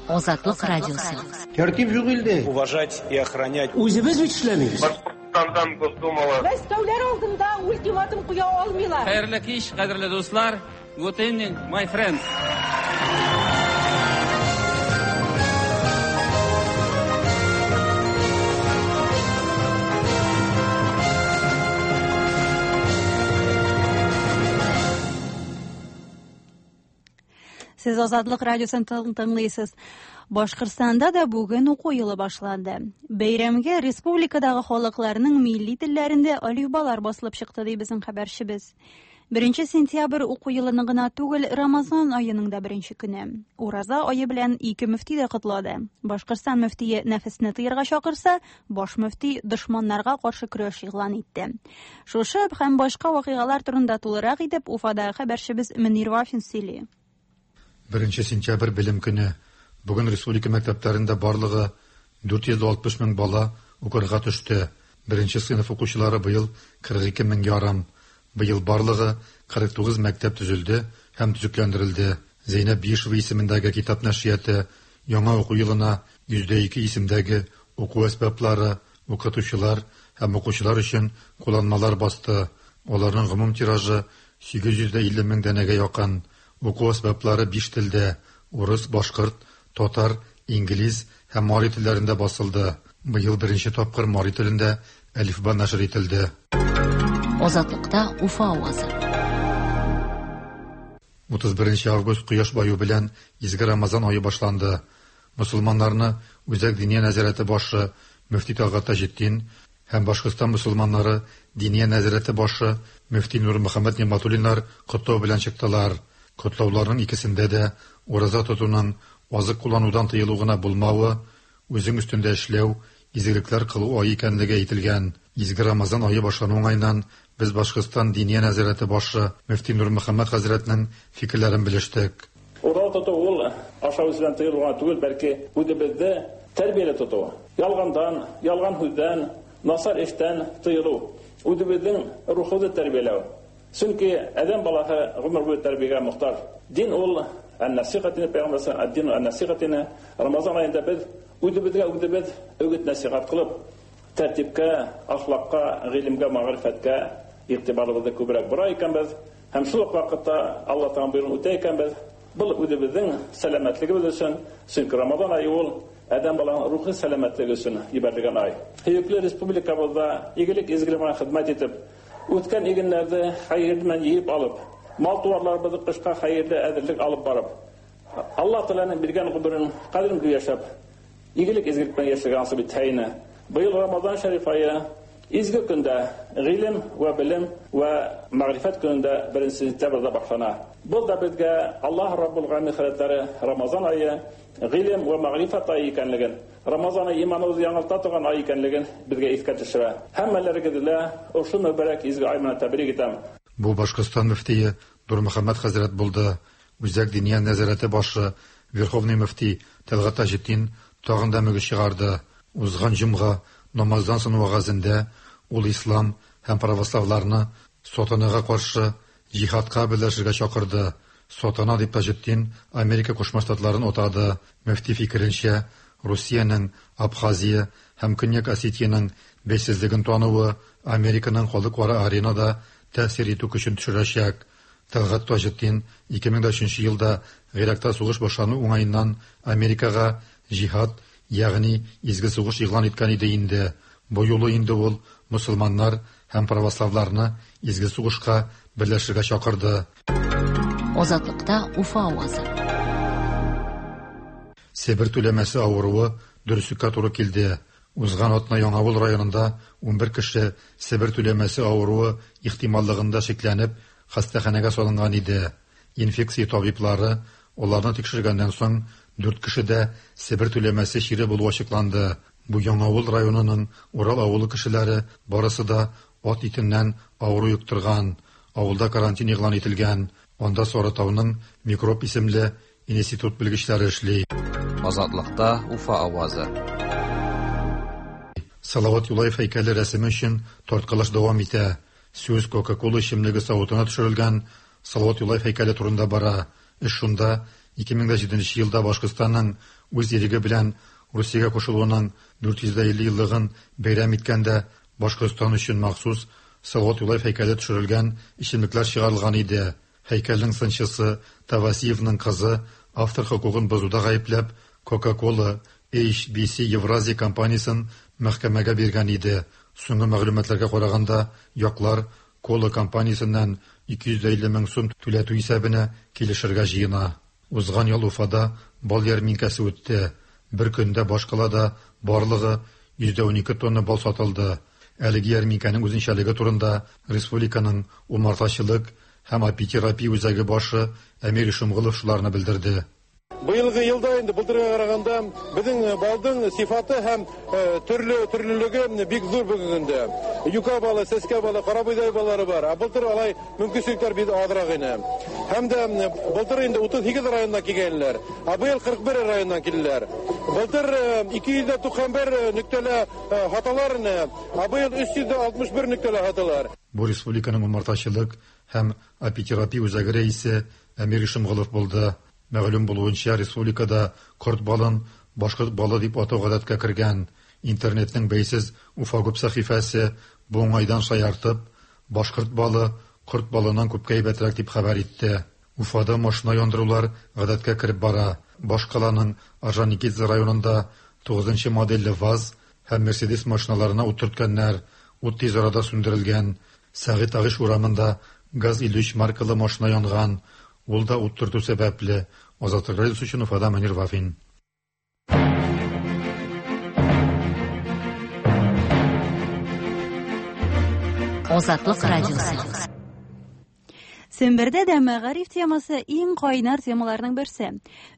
Азатлык радиосы. Тәртип юк илдә. Уважать и охранять. Үзебез бит эшләмибез. Башкортстандан Госдумала. Мәскәүләр алдында ультиматум куя алмыйлар. Хәерле кич, кадерле дуслар. Good evening, my friends. Сез Азатлык радиосын тыңлыйсыз. Башкортстанда да бүген уку елы башланды. Бәйрәмгә республикадагы халыкларның милли телләрендә әлифбалар басылып чыкты, ди безнең хәбәрчебез. 1 сентябрь уку елының гына түгел, Рамазан аеның да беренче көне. Ураза ае белән ике мөфти дә котлады. Башкортстан мөфтие нәфесне тыярга чакырса, баш мөфти дошманнарга каршы көрәш игълан итте. Шушы һәм башка вакыйгалар турында тулырак итеп Уфадагы хәбәрчебез Мөнир Вафин сөйли. 1 сентябрь белем көне. Бүген республика мәктәпләрендә барлыгы 460 мең бала укырга төште. Беренче сыйныф укучылары быел 42 мең ярым. Быел барлыгы 49 мәктәп төзелде һәм төзекләндерелде. Зәйнәб Биишева исемендәге китап нәшрияты яңа уку елына 102 исемдәге уку әсбаплары, укытучылар һәм укучылар өчен кулланмалар басты. Аларның гомум тиражы 850 мең данәгә якын. Уку әсбаплары 5 телдә: урыс, башкорт, татар, инглиз һәм мари телләрендә басылды. Быел беренче тапкыр мари телендә әлифба нәшер ителде. Азатлыкта Уфа авазы. 31 август кояш баю белән изге Рамазан ае башланды. Мусулманнарны Үзәк Диния нәзарәте башы мөфти Талгат Таҗетдин һәм Башкортстан мусулманнары Диния нәзарәте башы мөфти Нурмөхәммәт Нигъмәтуллиннар котлау белән чыктылар. Котлауларның икесендә дә ураза тотуның азык кулланудан тыелу гына булмавы, үзең өстендә эшләү, изгелекләр кылу ае икәнлеге әйтелгән. Изге Рамазан ае башлану уңаеннан без Башкортстан Диния нәзарәте башы мөфти Нурмөхәммәт хәзрәтнең фикерләрен белештек. Ураза тоту ул ашау эчүдән тыелу гына түгел, бәлки үзебезне тәрбияле тоту. Ялгандан, ялган һүздән, насар эштән тыелу. Үзебезнең рухыбызны тәрбияләү. Чөнки адәм баласы гомер буе тәрбиягә мохтаҗ. Дин ул ән-насиха дине, пәйгамбәр ад-дину ән-насиха дине. Рамазан аенда без үзебезгә үзебез үгет насихат кылып, тәртипкә, ахлакка, гыйлемгә, мәгърифәткә игътибарыбызны күбрәк бора икәнбез һәм шул ук вакытта Алла Тәгалә боеруын үтә икәнбез, был үзебезнең сәламәтлегебез өчен, чөнки Рамазан ае ул адәм баланың рухи сәламәтлеге өчен җибәрелгән ай. Һөекле республикабызда игелек изгелек белән хезмәт итеп, үткән игеннәрне хәерле белән җыеп алып, мал-туарларыбызны кышка хәерле әзерлек алып барып, Алла Тәгаләнең биргән гомерен кадерен белеп яшәп, игелек изгелек белән яшәргә насыйп итһә ине. Быел Рамазан шәриф ае изге көндә, гыйлем вә белем вә мәгърифәт көнендә 1 сентябрьдә башлана. Был да безгә Аллаһ Раббул Галәмин хәзрәтләре Рамазан ае гыйлем вә мәгърифәт ае икәнлеген, Рамазан ае иманыбызны яңарта торган ай икәнлеген безгә искә төшерә. Һәммәләрегезне дә ошо мөбарәк изге ай белән тәбрик итәм. Бу Башкортстан мөфтие Нурмөхәммәт хәзрәт булды. Үзәк Диния нәзарәте башы Верховный мөфти Тәлгать Таҗетдин тагын да мөгез чыгарды. Узган җомга намаздан соң вәгазендә ул ислам һәм православларны сатанага каршы җиһадка берләшергә чакырды. Сатана дип Таҗетдин Америка Кушма Штатларын атады. Мөфти фикеренчә, Русиянең Абхазия һәм Көньяк Осетиянең бәйсезлеген тануы Американың халыкара аренада тәэсир итү көчен төшерәчәк. Тәлгать Таҗетдин 2003 елда Гыйракта сугыш башлану уңаеннан Америкага җиһад, ягъни изге сугыш игълан иткән иде инде. Бу юлы инде ул мөселманнар һәм православларны изге сугышка берләшергә чакырды. Азатлыкта Уфа авазы. Себер түләмәсе авыруы дөреслеккә туры килде. Узган атна Яңавыл районында 11 кеше Себер түләмәсе авыруы ихтималлыгында шикләнеп хастаханәгә салынган иде. Инфекция табиблары аларны тикшергәннән соң 4 кешедә Себер түләмәсе чире булуы ачыкланды. Бу Яңавыл районының Урал авылы кешеләре барысы да ат итеннән авыру йоктырган. Авылда карантин игълан ителгән. Анда Сарытауның Микроб исемле институт белгечләре эшли. Азатлыкта Уфа авазы. Салават Юлаев һәйкәле рәсеме өчен тарткалаш дәвам итә. Сүз Кока-Кола эчемлеге савытына төшерелгән Салават Юлаев һәйкәле турында бара. Эш шунда 2007 елда Башкортстанның үз иреге белән Русиягә кушылуының 450 еллыгын бәйрәм иткәндә Башкортстан өчен махсус Салават Юлаев һәйкәле төшерелгән эчемлекләр чыгарылган иде. Һәйкәлнең сынчысы Тавасиевның кызы автор хокукын бозуда гаепләп Coca-Cola HBC Евразия компаниясен мәхкәмәгә биргән иде. Соңгы мәгълүматларга караганда, яклар Кола компаниясеннән 250 мең сум түләтү исәбенә килешергә җыена. Узган ел Уфада бал ярминкәсе үтте. Бер көндә башкалада барлыгы 112 тонна бал сатылды. Әлеге ярминкәнең үзенчәлеге турында республиканың умартачылык һәм апитерапия үзәге башы Әмир Ишемгулов шуларны белдерде. Быелгы елда инде былтырга караганда безнең балдың сифаты һәм төрле төрлелеге бик зур бүгенге көндә. Юка балы, сәскә балы, карабойдай баллары бар. Ә былтыр алай мөмкинчелекләр бик азрак иде. Һәм дә былтыр инде 38 районнан килгәннәр, ә быел 41 районнан килделәр. Былтыр 291 нөктәле хаталар иде, ә быел 361 нөктәле хаталар. Бу республиканың умартачылык һәм апитерапия үзәге рәисе Әмир Ишемгулов булды. Мәгълүм булуынча, республикада корт балын башкорт балы дип атау гадәткә кергән. Интернетның бәйсез Уфа күп сәхифәсе бу уңайдан шаяртып, башкорт балы корт балыннан күпкә әйбәтрәк дип хәбәр итте. Уфада машина яндырулар гадәткә кереп бара. Башкаланың Орджоникидзе районында 9 модельле ВАЗ һәм Мерседес машиналарына ут төрткәннәр. Ут тиз арада сүндерелгән. Сәгыйть Агыш урамында ГАЗ-53 маркалы машина янган. Ул да ут төртү сәбәпле. Азатлык радиосы өчен Уфада Мөнир Вафин. Азатлык радиосы. Сембердә дә мәгариф темасы иң кайнар темаларның берсе.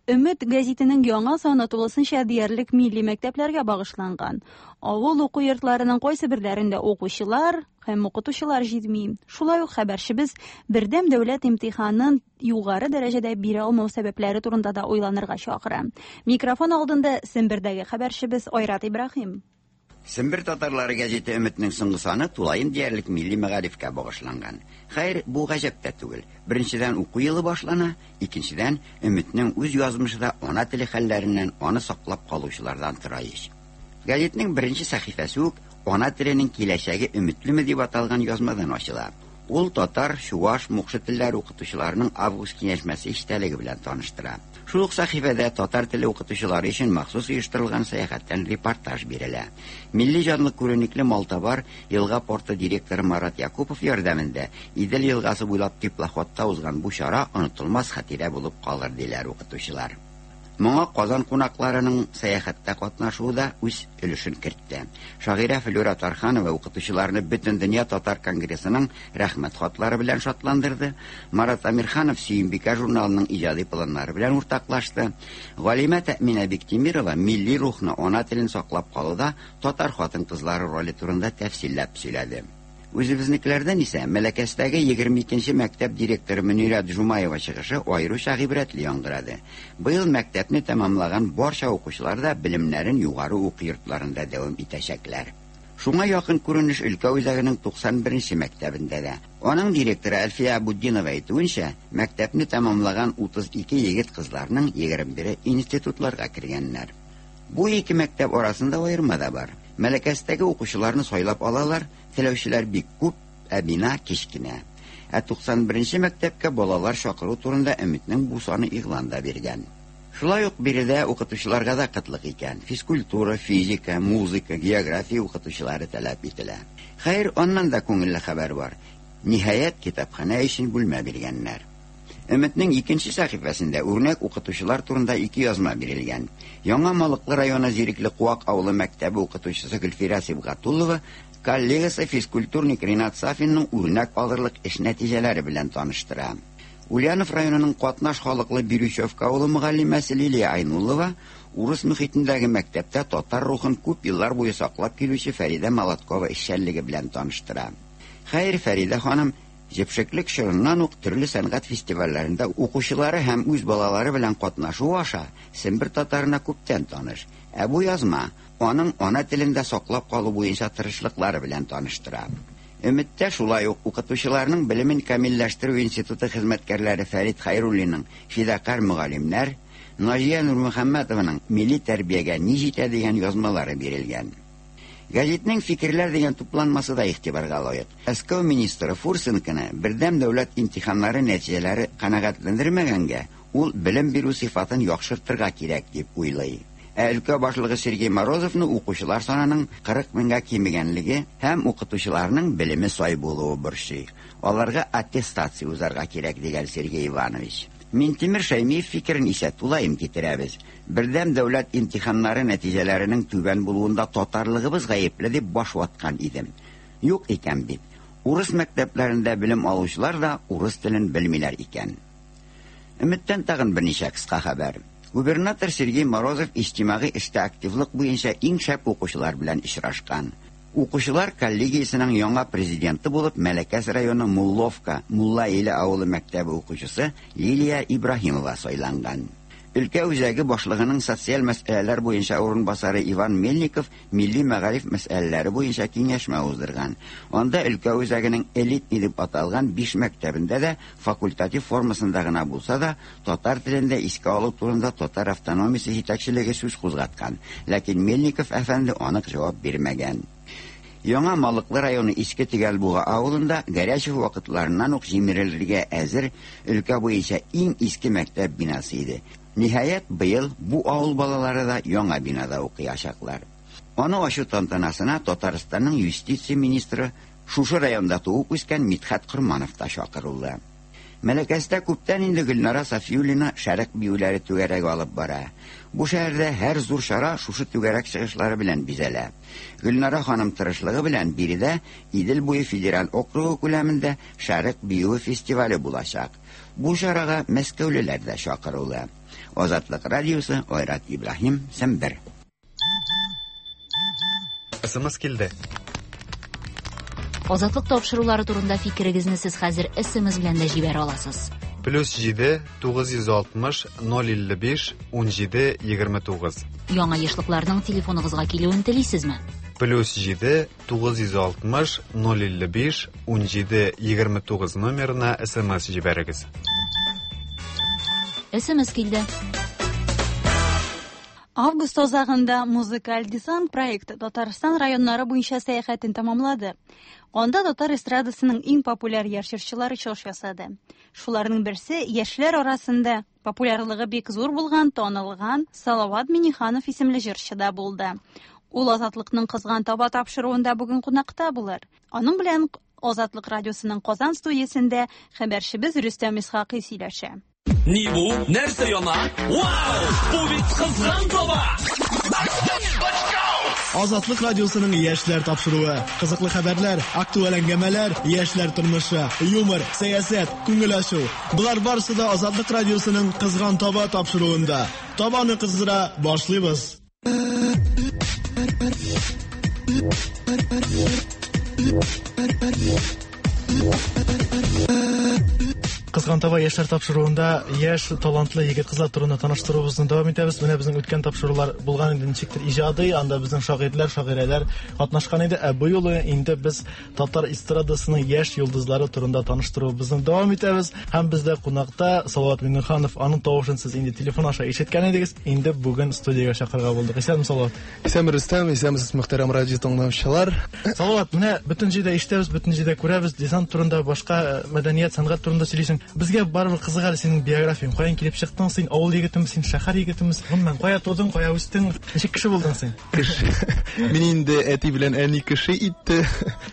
Өмет гәзитенең яңа саны тулысынча диярлек милли мәктәпләргә багышланган. Авыл уку йортларының кайсы берләрендә укучылар һәм укытучылар җитми. Шулай ук хәбәрчебез бердәм дәүләт имтиханын югары дәрәҗәдә бирә алмау сәбәпләре турында да уйланырга чакыра. Микрофон алдында Сембердәге хәбәрчебез Айрат Ибраһим. Сембер татарлары гәзите Өметнең соңгы саны тулаем диярлек милли мәгарифкә багышланган. Хәер, бу гаҗәп тә түгел. Беренчедән, уку елы башлана, икенчедән, Өметнең үз язмышы да ана теле хәлләреннән, аны саклап калучылардан тора ич. Гәзитнең беренче сәхифәсе үк Ана теленең киләчәге өметлеме дип аталган язмадан ачыла. Ул татар, чуаш, мукшы телләре укытучыларының август киңәшмәсе эчтәлеге белән таныштыра. Шул ук сәхифәдә татар теле укытучылары өчен махсус оештырылган сәяхәттән репортаж бирелә. Милли җанлы күренекле малтабар елга порты директоры Марат Якупов ярдәмендә Идел елгасы буйлап теплоходта узган бу чара онытылмас хатирә булып калыр, диләр укытучылар. Моңа Казан кунакларының сәяхәттә катнашуы да үз өлешен кертте. Шагыйрә Флюра Тарханова укытучыларны Бөтендөнья татар конгрессының рәхмәт хатлары белән шатландырды. Марат Әмирханов Сөембикә журналының иҗади планнары белән уртаклашты. Галимә Тәэминә Биктимирова милли рухны, ана телен саклап калуда татар хатын-кызлары роле турында тәфсилләп сөйләде. Үзебезнекеләрдән исә Мәләкәстәге 22 нче мәктәп директоры Мөнирә Джумаева чыгышы аеруча гыйбрәтле яңгырады. Быел мәктәпне тәмамлаган барча укучылар да белемнәрен югары уку йортларында дәвам итәчәкләр. Шуңа якын күренеш өлкә үзәгенең 91 нче мәктәбендә дә. Аның директоры Әлфия Абутдинова әйтүенчә, мәктәпне тәмамлаган 32 егет-кызларның 21-е институтларга кергәннәр. Бу ике мәктәп арасында аерма да бар. Мәләкәстәге укучыларны сайлап алалар, теләүчеләр бик күп, ә бина кечкенә. Ә 91 нче мәктәпкә балалар чакыру турында Өметнең бу саны игълан да биргән. Шулай ук биредә укытучыларга да кытлык икән. Физкультура, физика, музыка, география укытучылары таләп ителә. Хәер, аннан да күңелле хәбәр бар. Ниһаять, китапханә өчен бүлмә биргәннәр. Өметнең икенче сәхифәсендә үрнәк укытучылар турында ике язма бирелгән. Яңа Малыклы районы Зирекле Куак авылы мәктәбе укытучысы Гөлфирә Сибгатуллова коллегасы физкультурник Ринат Сафинның үрнәк алырлык эш нәтиҗәләре белән таныштыра. Ульянов районының катнаш халыклы Бирючевка авылы мөгаллимәсе Лилия Айнуллова урыс мөхитендәге мәктәптә татар рухын күп еллар буе саклап килүче Фәридә Молоткова эшчәнлеге белән таныштыра. Хәер, Фәридә ханым җепшеклек чорыннан ук төрле сәнгать фестивальләрендә укучылары һәм үз балалары белән катнашуы аша Сембер татарына күптән таныш. Ә бу язма аның ана телен дә саклап калу буенча тырышлыклары белән таныштыра. Өметтә шулай ук укытучыларның белемен камилләштерү институты хезмәткәрләре Фәрит Хәйруллинның Фидакарь мөгаллимнәр, Наҗия Нурмөхәммәтованың Милли тәрбиягә ни җитә дигән язмалары бирелгән. Гәзитнең Фикерләр дигән тупланмасы да игътибарга лаек. Мәскәү министры Фурсенконы бердәм дәүләт имтиханнары нәтиҗәләре канәгатьләндермәгәнгә, ул белем бирү сыйфатын яхшыртырга кирәк дип уйлый. Ә өлкә башлыгы Сергей Морозовны укучылар санының 40 меңгә кимегәнлеге һәм укытучыларның белеме сай булуы борчый. Аларга аттестация узарга кирәк, дигән Сергей Иванович. Минтимер Шәймиев фикерен исә тулаем китерәбез. Бердәм дәүләт имтиханнары нәтиҗәләренең түбән булуында татарлыгыбыз гаепле дип баш ваткан идем. Юк икән бит. Урыс мәктәпләрендә белем алучылар да урыс телен белмиләр икән. Өметтән тагын берничә кыска хәбәр. Губернатор Сергей Морозов иҗтимагый эштә активлык буенча иң шәп укучылар белән очрашкан. Укучылар коллегиясенең яңа президенты булып Мәләкәс районы Мулловка, Мулла Иле авылы мәктәбе укучысы Лилия Ибраһимова сайланган. Өлкә үзәге башлыгының социаль мәсьәләләр буенча урынбасары Иван Мельников милли мәгариф мәсьәләләре буенча киңәшмә уздырган. Анда өлкә үзәгенең элитный дип аталган биш мәктәбендә дә факультатив формасында гына булса да татар телендә искә алу турында татар автономиясе җитәкчелеге сүз кузгаткан. Ләкин Мельников әфәнде анык җавап бирмәгән. Яңа Малыклы районы Иске Төгәлбуга авылында Горячев вакытларыннан ук җимерелергә әзер өлкә буенча иң иске мәктәп бинасы иде. Ниһаять, быел бу авыл балалары да яңа бинада укыячаклар. Аны ачу тантанасына Татарстанның юстиция министры, шушы районда туып үскән Мидхәт Корманов та чакырылды. Мәләкәстә күптән инде Гөлнара Сафиуллина шәрык биюләре түгәрәге алып бара. Бу шәһәрдә һәр зур чара шушы түгәрәк чыгышлары белән бизәлә. Гөлнара ханым тырышлыгы белән биредә Идел буе федераль округы күләмендә шәрык биюе фестивале булачак. Бу чарага мәскәүлеләр дә чакырулы. Азатлык радиосы, Айрат Ибраһим, Сембер. СМС килде. Азатлык тапшырулары турында фикерегезне сез хәзер СМС белән дә җибәрә аласыз. Плюс 7 960 055 17 29. Яңа ешлыкларның телефоныгызга килүен телисезме? Плюс 7 960 055 17 29 номерына СМС җибәрегез. СМС килде. Август азагында Музыкаль десант проекты Татарстан районнары буенча сәяхәтен тәмамлады. Анда татар эстрадасының иң популяр яшь җырчылары чыгыш ясады. Шуларның берсе яшьләр арасында популярлыгы бик зур булган, танылган Салават Миниханов исемле җырчы да булды. Ул Азатлыкның Кызган таба тапшыруында бүген кунакта булыр. Аның белән Азатлык радиосының Казан студиясендә хәбәрчебез Рөстәм Исхакый сөйләшә. Ни бу? Нәрсә яна? Вау! Бу бит кызган таба! Азатлык радиосының яшьләр тапшыруы. Кызыклы хәбәрләр, актуаль әңгәмәләр, яшьләр тормышы, юмор, сәясәт, күңел ачу. Болар барысы да Азатлык радиосының Кызган таба тапшыруында. Табаны кыздыра башлыйбыз. Кызган таба яшьләр тапшыруында яшь талантлы егет-кызлар турында таныштыруыбызны дәвам итәбез. Менә безнең үткән тапшырулар булган инде ничектер иҗади, анда безнең шагыйрьләр, шагыйрәләр катнашкан иде. Ә бу юлы инде без татар эстрадасының яшь йолдызлары турында таныштыруыбызны дәвам итәбез. Һәм бездә кунакта Салават Миңнеханов. Аның тавышын сез инде телефон аша ишеткән идегез. Инде бүген студиягә чакырырга булдык. Исәнме, Салават? Исәнме, Рөстәм, исәнмесез, мөхтәрәм радио тыңлаучылар. Салават, менә бөтен җирдә ишетәбез, бөтен җирдә күрәбез, десант турында, башка мәдәният, сәнгать турында сөйлисең. Безгә барыбер кызык әле синең биографияң. Каян килеп чыктың син? Авыл егетеме син, шәһәр егетеме? Гомумән, кая тудың, кая үстең? Ничек кеше булдың син? Кеше. Мин инде әти белән әни кеше итте.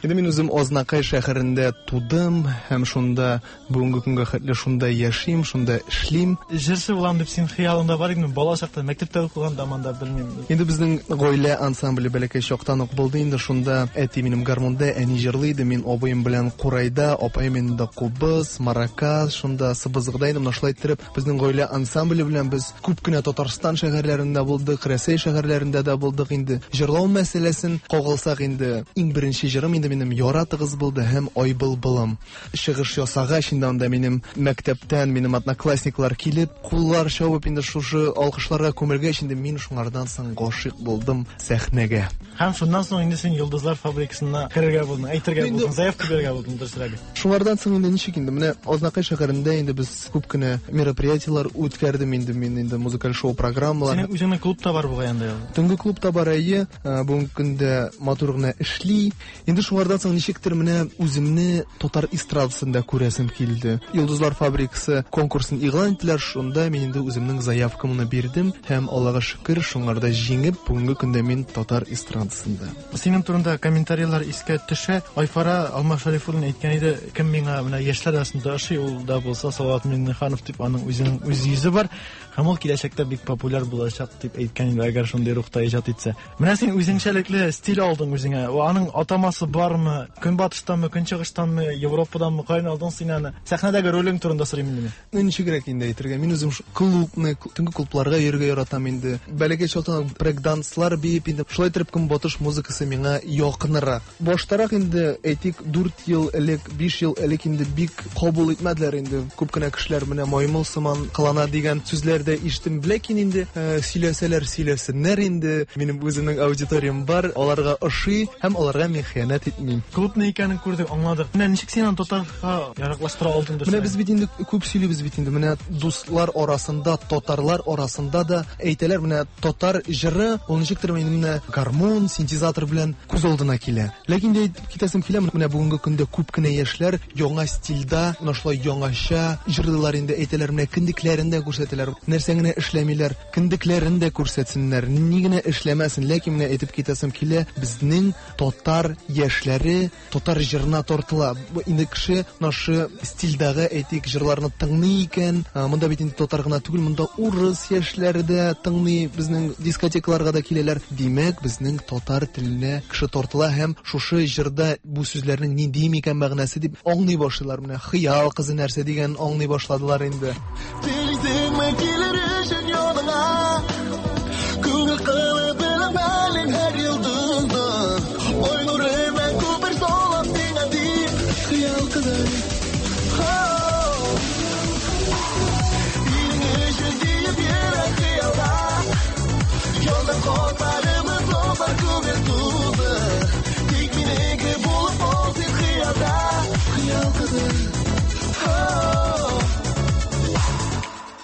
Инде мин үзем Азнакай шәһәрендә тудым һәм шунда бүгенге көнгә хәтле шунда яшим, шунда эшлим. Җырчы булам дип син хыялыңда бар идеме? Бала чакта, мәктәптә укыганда монда белмим. Инде безнең гаилә ансамбле бәләкәй чактан ук булды инде шунда. Әти минем гармунда, әни җырлый иде, мин абыем белән курайда, апаем инде кубыз, маракас, шунда сыбызгыда инде менә шулай иттереп безнең гаилә ансамбле белән без күп кенә Татарстан шәһәрләрендә булдык, Рәсәй шәһәрләрендә дә булдык инде. Җырлау мәсьәләсен кагылсак инде, иң беренче җырым инде минем Яратыгыз булды һәм Ай былбылым. Чыгыш ясагач инде анда минем мәктәптән минем одноклассниклар килеп, куллар чабып инде шушы алкышларга күмелгәч инде мин шуңардан соң гашыйк булдым сәхнәгә. Һәм шуннан соң инде син Йолдызлар фабрикасына керергә булдың, әйтергә булдың, заявка бирергә булдың, дөресрәге. Шуңардан соң инде ничек инде, менә Азнакай шәһәрендә инде без күп кенә мероприятиеләр үткәрдем инде мин инде музыкаль шоу программалар. Синең үзеңнең клуб та бар бугай анда. Төнге клуб та бар, әйе. Бүгенге көндә матур гына эшли. Инде шуңардан соң ничектер менә үземне татар эстрадасында күрәсем килде. Йолдызлар фабрикасы конкурсын игълан иттеләр, шунда мин инде үземнең заявкамны бирдем һәм Аллага шөкер, шуңарда җиңеп, бүгенге көндә мин татар эстрадасында. Синең турында комментарийлар искә төшә. Айфара Алмаз Шәрифуллин әйткән иде, кем миңа менә яшьләр арасында ошый, ул да булса Салават Миңнеханов дип, аның үзенең үз йөзе бар. Һәм ул киләчәктә бик популяр булачак дип әйткән иде, әгәр шундый рухта иҗат итсә. Менә син үзенчәлекле стиль алдың үзеңә. Аның атамасы бармы? Көнбатыштанмы, көнчыгыштанмы, Европаданмы? Каян алдың син аны? Сәхнәдәге ролең турында сорыйм инде мин. Ну, ничегрәк инде әйтергә? Мин үзем клубны, төнге клубларга йөрергә яратам инде. Бәләкәй чактан ук брейк-данслар биеп инде. Шулай итеп көнбатыш музыкасы миңа якынрак. Баштарак инде, әйтик, 4 ел элек, 5 ел элек инде бик кабул итмәделәр инде. Күп кенә кешеләр менә маймыл сыман кылана дигән сүзләр дә ишеттем. Ләкин инде э, сөйләсәләр сөйләсеннәр инде. Минем үземнең аудиториям бар, аларга ошый һәм аларга мин хыянәт итмим. Клуб ни икәнен күрдек, аңладык. Менә ничек син аны татарга яраклаштыра алдың Менә без бит инде күп сөйлибез бит инде. Менә дуслар арасында, татарлар арасында да әйтәләр, менә татар җыры ул ничектер инде менә гармун, синтезатор белән күз алдына килә. Ләкин дә әйтеп китәсем килә, менә бүгенге көндә күп кенә яшьләр яңа стильдә, менә шулай яңача җырлыйлар инде, әйтәләр, менә кендекләрен дә күрсәтәләр. Нәрсә генә эшләмиләр, кендекләрен дә күрсәтсеннәр, ни генә эшләмәсен, ләкин менә әйтеп китәсем килә, безнең татар яшьләре татар җырына тартыла. Инде кеше нашы стильдәге, әйтик, җырларны тыңлый икән, монда бит инде татар гына түгел, монда урыс яшьләре дә тыңлый, безнең дискотекаларга да киләләр. Димәк, безнең татар теленә кеше тартыла һәм шушы җырда бу сүзләрнең нинди микән мәгънәсе дип аңлый башлыйлар. Менә хыял кызы нәрсә дигән аңлый башладылар инде. Телисеңме килер өчен яныңа? Күңел кылып белмәлим һәр йолдызны. Ай нуры белән күпер салам сиңа дип, хыял кызы. Синең өчен диеп йөрәк хыялда. Янып хатларымыз лапар күңел тулды. Тик минеке булып кал син хыялда, хыял кызы.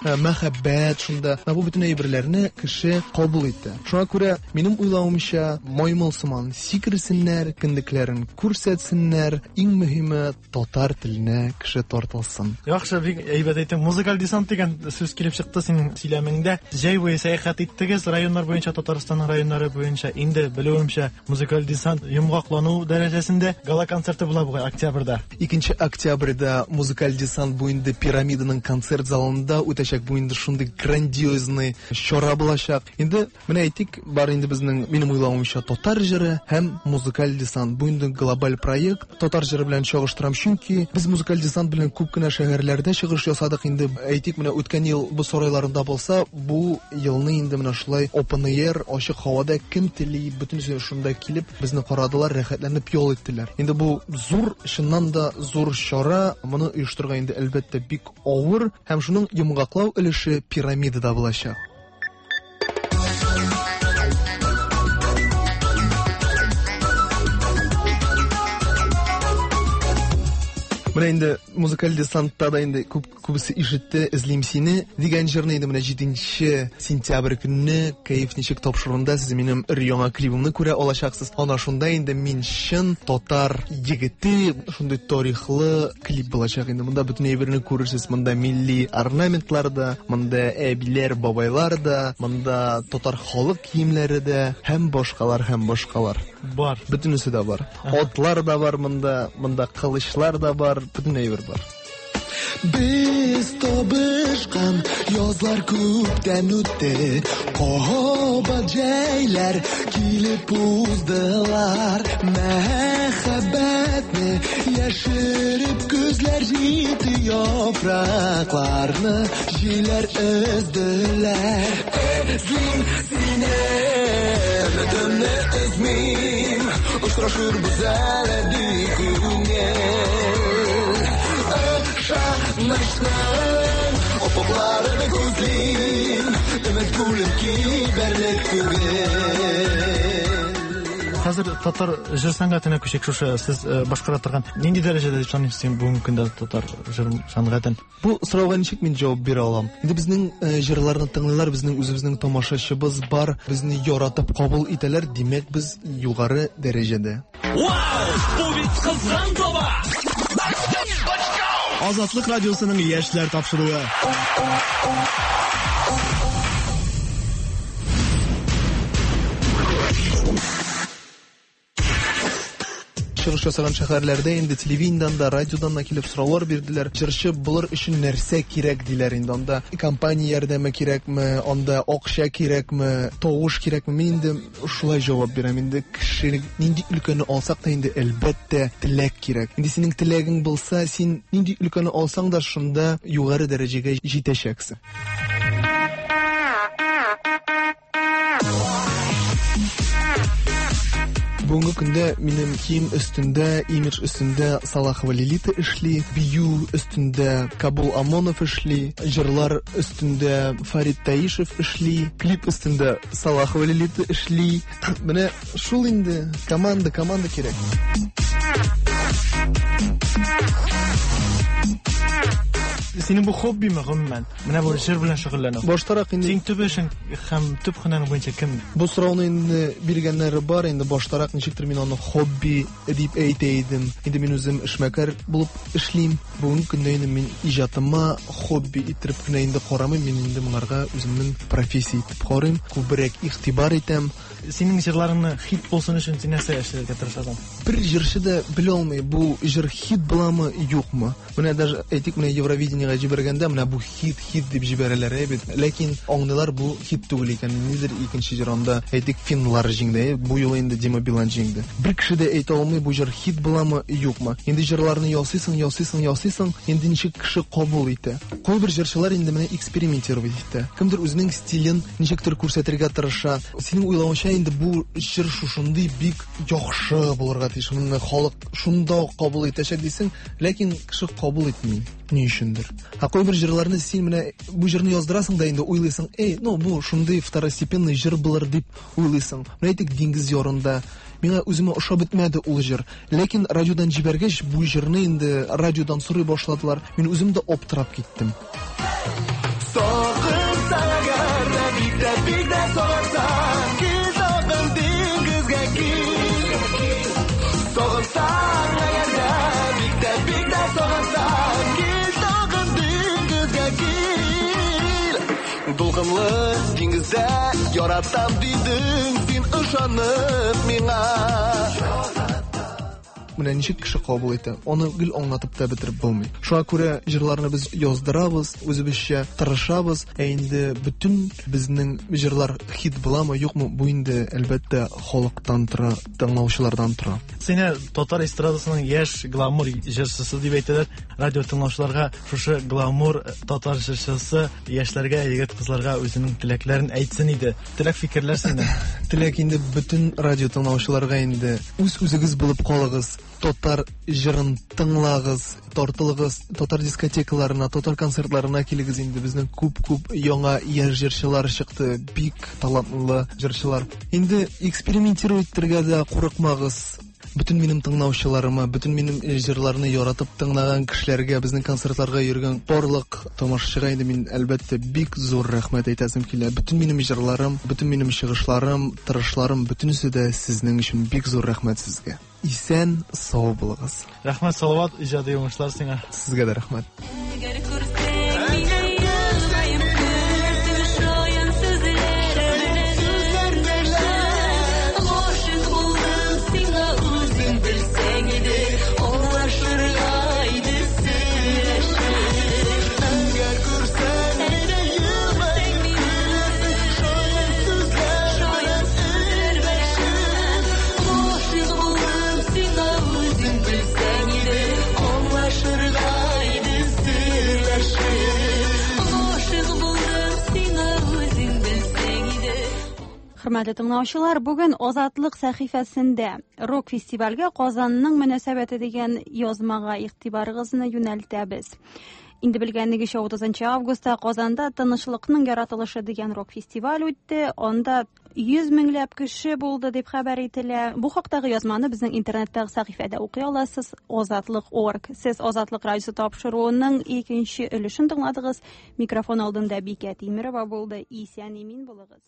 Мәхәббәт шунда. Менә бу бөтен әйберләрне кеше кабул итте. Шуңа күрә, минем уйлавымча, маймыл сыман сикерсеннәр, кендекләрен күрсәтсеннәр, иң мөһиме татар теленә кеше тартылсын. Яхшы, бик әйбәт әйттең. Музыкаль десант дигән сүз килеп чыкты синең сөйләмеңдә. Җәй буе сәяхәт иттегез районнар буенча, Татарстанның районнары буенча. Инде белүемчә, музыкаль десант йомгаклану дәрәҗәсендә гала-концерты була бугай октябрьдә. 2 октябрьдә музыкаль десант бу инде Пирамиданың концерт залында үтәчәк. Бу инде шундый грандиозный чара булачак. Инде менә әйтик, бар инде безнең, минем уйлавымча, татар җыры һәм музыкаль десант. Бу инде глобаль проект. Татар җыры белән чагыштырам, чөнки без музыкаль десант белән күп кенә шәһәрләрдә чыгыш ясадык. Инде әйтик, менә үткән ел боз сарайларында булса, бу елны инде менә шулай open air, ачык һавада кем тели, бөтенесе шунда килеп, безне карадылар, рәхәтләнеп ял иттеләр. Инде бу зур, чыннан да зур чара, моны оештырырга инде әлбәттә бик авыр һәм шуның йомгаклау өлеше пирамидада булачак. Менә инде музыкаль десантта да инде күп күбесе ишетте «Эзлим сине» дигән җырны инде менә 7 сентябрь көнне «Кәеф ничек» тапшыруында сез минем өр-яңа клибымны күрә алачаксыз. Ана шунда инде мин чын татар егете, шундый тарихлы клип булачак инде. Монда бөтен әйберне күрерсез. Монда милли орнаментлар да, монда әбиләр, бабайлар да, монда татар халык киемнәре дә һәм башкалар, һәм башкалар. Бар. Бөтенесе дә бар. Атлар да бар монда, монда кылычлар да бар, бөтен әйбер бар. Без табышкан язлар күптән үтте, Кабат җәйләр килеп уздылар. Мәхәббәтне яшереп көзләр җитте, яфракларны җилләр өзделәр. Эзлим сине, өметемне өзмим, Очрашырбыз әле ди күңел. Ышанычның офыкларын күзлим, Өмет күлем кибәрлек түгел. Хәзер татар җыр сәнгатенә күчик. Шушы сез башкара торган нинди дәрәҗәдә дип саныйсыз син бүгенге көндә татар җыр сәнгатен? Бу сорауга ничек мин җавап бирә алам? Инде безнең җырларны тыңлыйлар, безнең үзебезнең тамашачыбыз бар, безне яратып кабул итәләр, димәк, без югары дәрәҗәдә. Вау! Бу бит кызган таба! Азатлык радиосының яшьләр тапшыруы. Чыгыш ясаган шәһәрләрдә инде телевидениедән дә, радиодан да килеп сораулар бирделәр. Җырчы булыр өчен нәрсә кирәк диләр инде. Анда компания ярдәме кирәкме, анда акча кирәкме, тавыш кирәкме? Мин инде шулай җавап бирәм. Инде кеше нинди өлкәне алсак та инде әлбәттә теләк кирәк. Инде синең теләгең булса, син нинди өлкәне алсаң да шунда югары дәрәҗәгә җитәчәксең. Бүгенге көндә минем кием өстендә, имидж өстендә Салахова Лилита эшли, бию өстендә Кабул Амонов эшли, җырлар өстендә Фарид Таишев эшли, клип өстендә Салахова Лилита эшли. Менә шул инде команда, команда кирәк. Синең бу хоббиме гомумән? Менә бу җыр белән шөгыльләнү. Баштарак инде Син төп эшең һәм төп һөнәрең буенча кем? Бу сорауны инде биргәннәре бар, инде баштарак ничектер мин аны хобби дип әйтә идем. Инде мин үзем эшмәкәр булып эшлим. Бүгенге көндә инде мин иҗатыма хобби иттереп кенә инде карамыйм, мин инде моңарга үземнең профессия итеп карыйм, күбрәк игътибар итәм. Синең җырларыңны хит булсын өчен син нәрсә эшләргә тырышасың? Бер җырчы да белә алмый, бу җыр хит буламы, юкмы. Менә даже әйтик, менә Евровидениегә җибәргәндә, менә бу хит, хит дип җибәрәләр, әй бит. Ләкин аңлыйлар, бу хит түгел икән. Ниндидер икенче җыр анда, әйтик, финнлар җиңде, әй, бу юлы инде Дима Билан җиңде. Бер кеше дә әйтә алмый, бу җыр хит буламы, юкмы. Инде җырларны ясыйсың, ясыйсың, ясыйсың, инде ничек кеше кабул итә. Кайбер җырчылар инде менә экспериментировать итә. Кемдер үзенең стилен ничектер күрсәтергә тырыша. Синең уйлавыңча инде бу җыр шушындый бик яхшы булырга тиеш. Моны халык шунда ук кабул итәчәк дисең, ләкин кеше кабул итми. Ни өчендер. Ә кайбер җырларны син менә бу җырны яздырасың да инде уйлыйсың, эй, ну бу шундый второстепенный җыр булыр дип уйлыйсың. Менә әйтик, Диңгез ярында миңа үземә ошап бетмәде ул җыр. Ләкин радиодан җибәргәч, бу җырны инде радиодан сорый башладылар. Мин үзем дә аптырап киттем. Сагынсаң әгәр дә, бик тә, бик тә сагынсаң, кил тагын диңгезгә кил. Сагынсаң әгәр дә, бик тә, бик тә сагынсаң, кил тагын диңгезгә кил. Дулкынлы диңгездә яратам дидең син ышанып миңа. Менә ничек кеше кабул итә, аны гел аңлатып та бетереп булмый. Шуңа күрә җырларны без яздырабыз, үзебезчә тырышабыз. Ә инде бөтен безнең җырлар хит буламы, юкмы, бу инде әлбәттә халыктан тора, тыңлаучылардан тора. Сине татар эстрадасының яшь гламур җырчысы дип әйтәләр. Радио тыңлаучыларга шушы гламур татар җырчысы яшьләргә, егет-кызларга үзенең теләкләрен әйтсен иде. Теләк фикерләр синең. Теләк инде бөтен радио тыңлаучыларга инде үз-үзегез булып калыгыз, татар җырын тыңлагыз, тартылыгыз, татар дискотекаларына, татар концертларына килегез инде. Безнең күп-күп яңа яшь җырчылар чыкты, бик талантлы җырчылар. Инде экспериментировать итәргә дә курыкмагыз. Бөтен минем тыңлаучыларыма, бөтен минем җырларны яратып тыңлаган кешеләргә, безнең концертларга йөргән барлык тамашачыга инде мин әлбәттә бик зур рәхмәт әйтәсем килә. Бөтен минем җырларым, бөтен минем чыгышларым, тырышларым, бөтенесе дә сезнең өчен бик зур рәхмәт сезгә. Исән, сау булыгыз. Рәхмәт, Салават, иҗади уңышлар сиңа. Сезгә дә рәхмәт. Әгәр күрсәң мине елмаеп көлерсең шаян сүзләр белән эндәшеп. Гашыйк булдым сиңа үзең белсәң иде, аңлашырга иде сөйләшеп. Әгәр күрсәң мине елмаеп көлерсең шаян сүзләр белән Гашыйк булдым сиңа үзең белсәң иде, аңлашырга иде сөйләшеп. Гашыйк булдым сиңа үзең белсәң иде. Хөрмәтле тыңлаучылар, бүген Азатлык сәхифәсендә рок-фестивальгә Казанның мөнәсәбәте дигән язмага игътибарыгызны юнәлтәбез. Инде белгәнегезчә 30 августта Казанда Тынычлыкның яратылышы дигән рок-фестиваль үтте. Анда 100 меңләп кеше булды дип хәбәр ителә. Бу хактагы язманы безнең интернеттагы сәхифәдә укый аласыз. Азатлык.орг. Сез Азатлык радиосы тапшыруының икенче өлешен тыңладыгыз. Микрофон алдында Бикә Тимерова булды. Исән имин булыгыз.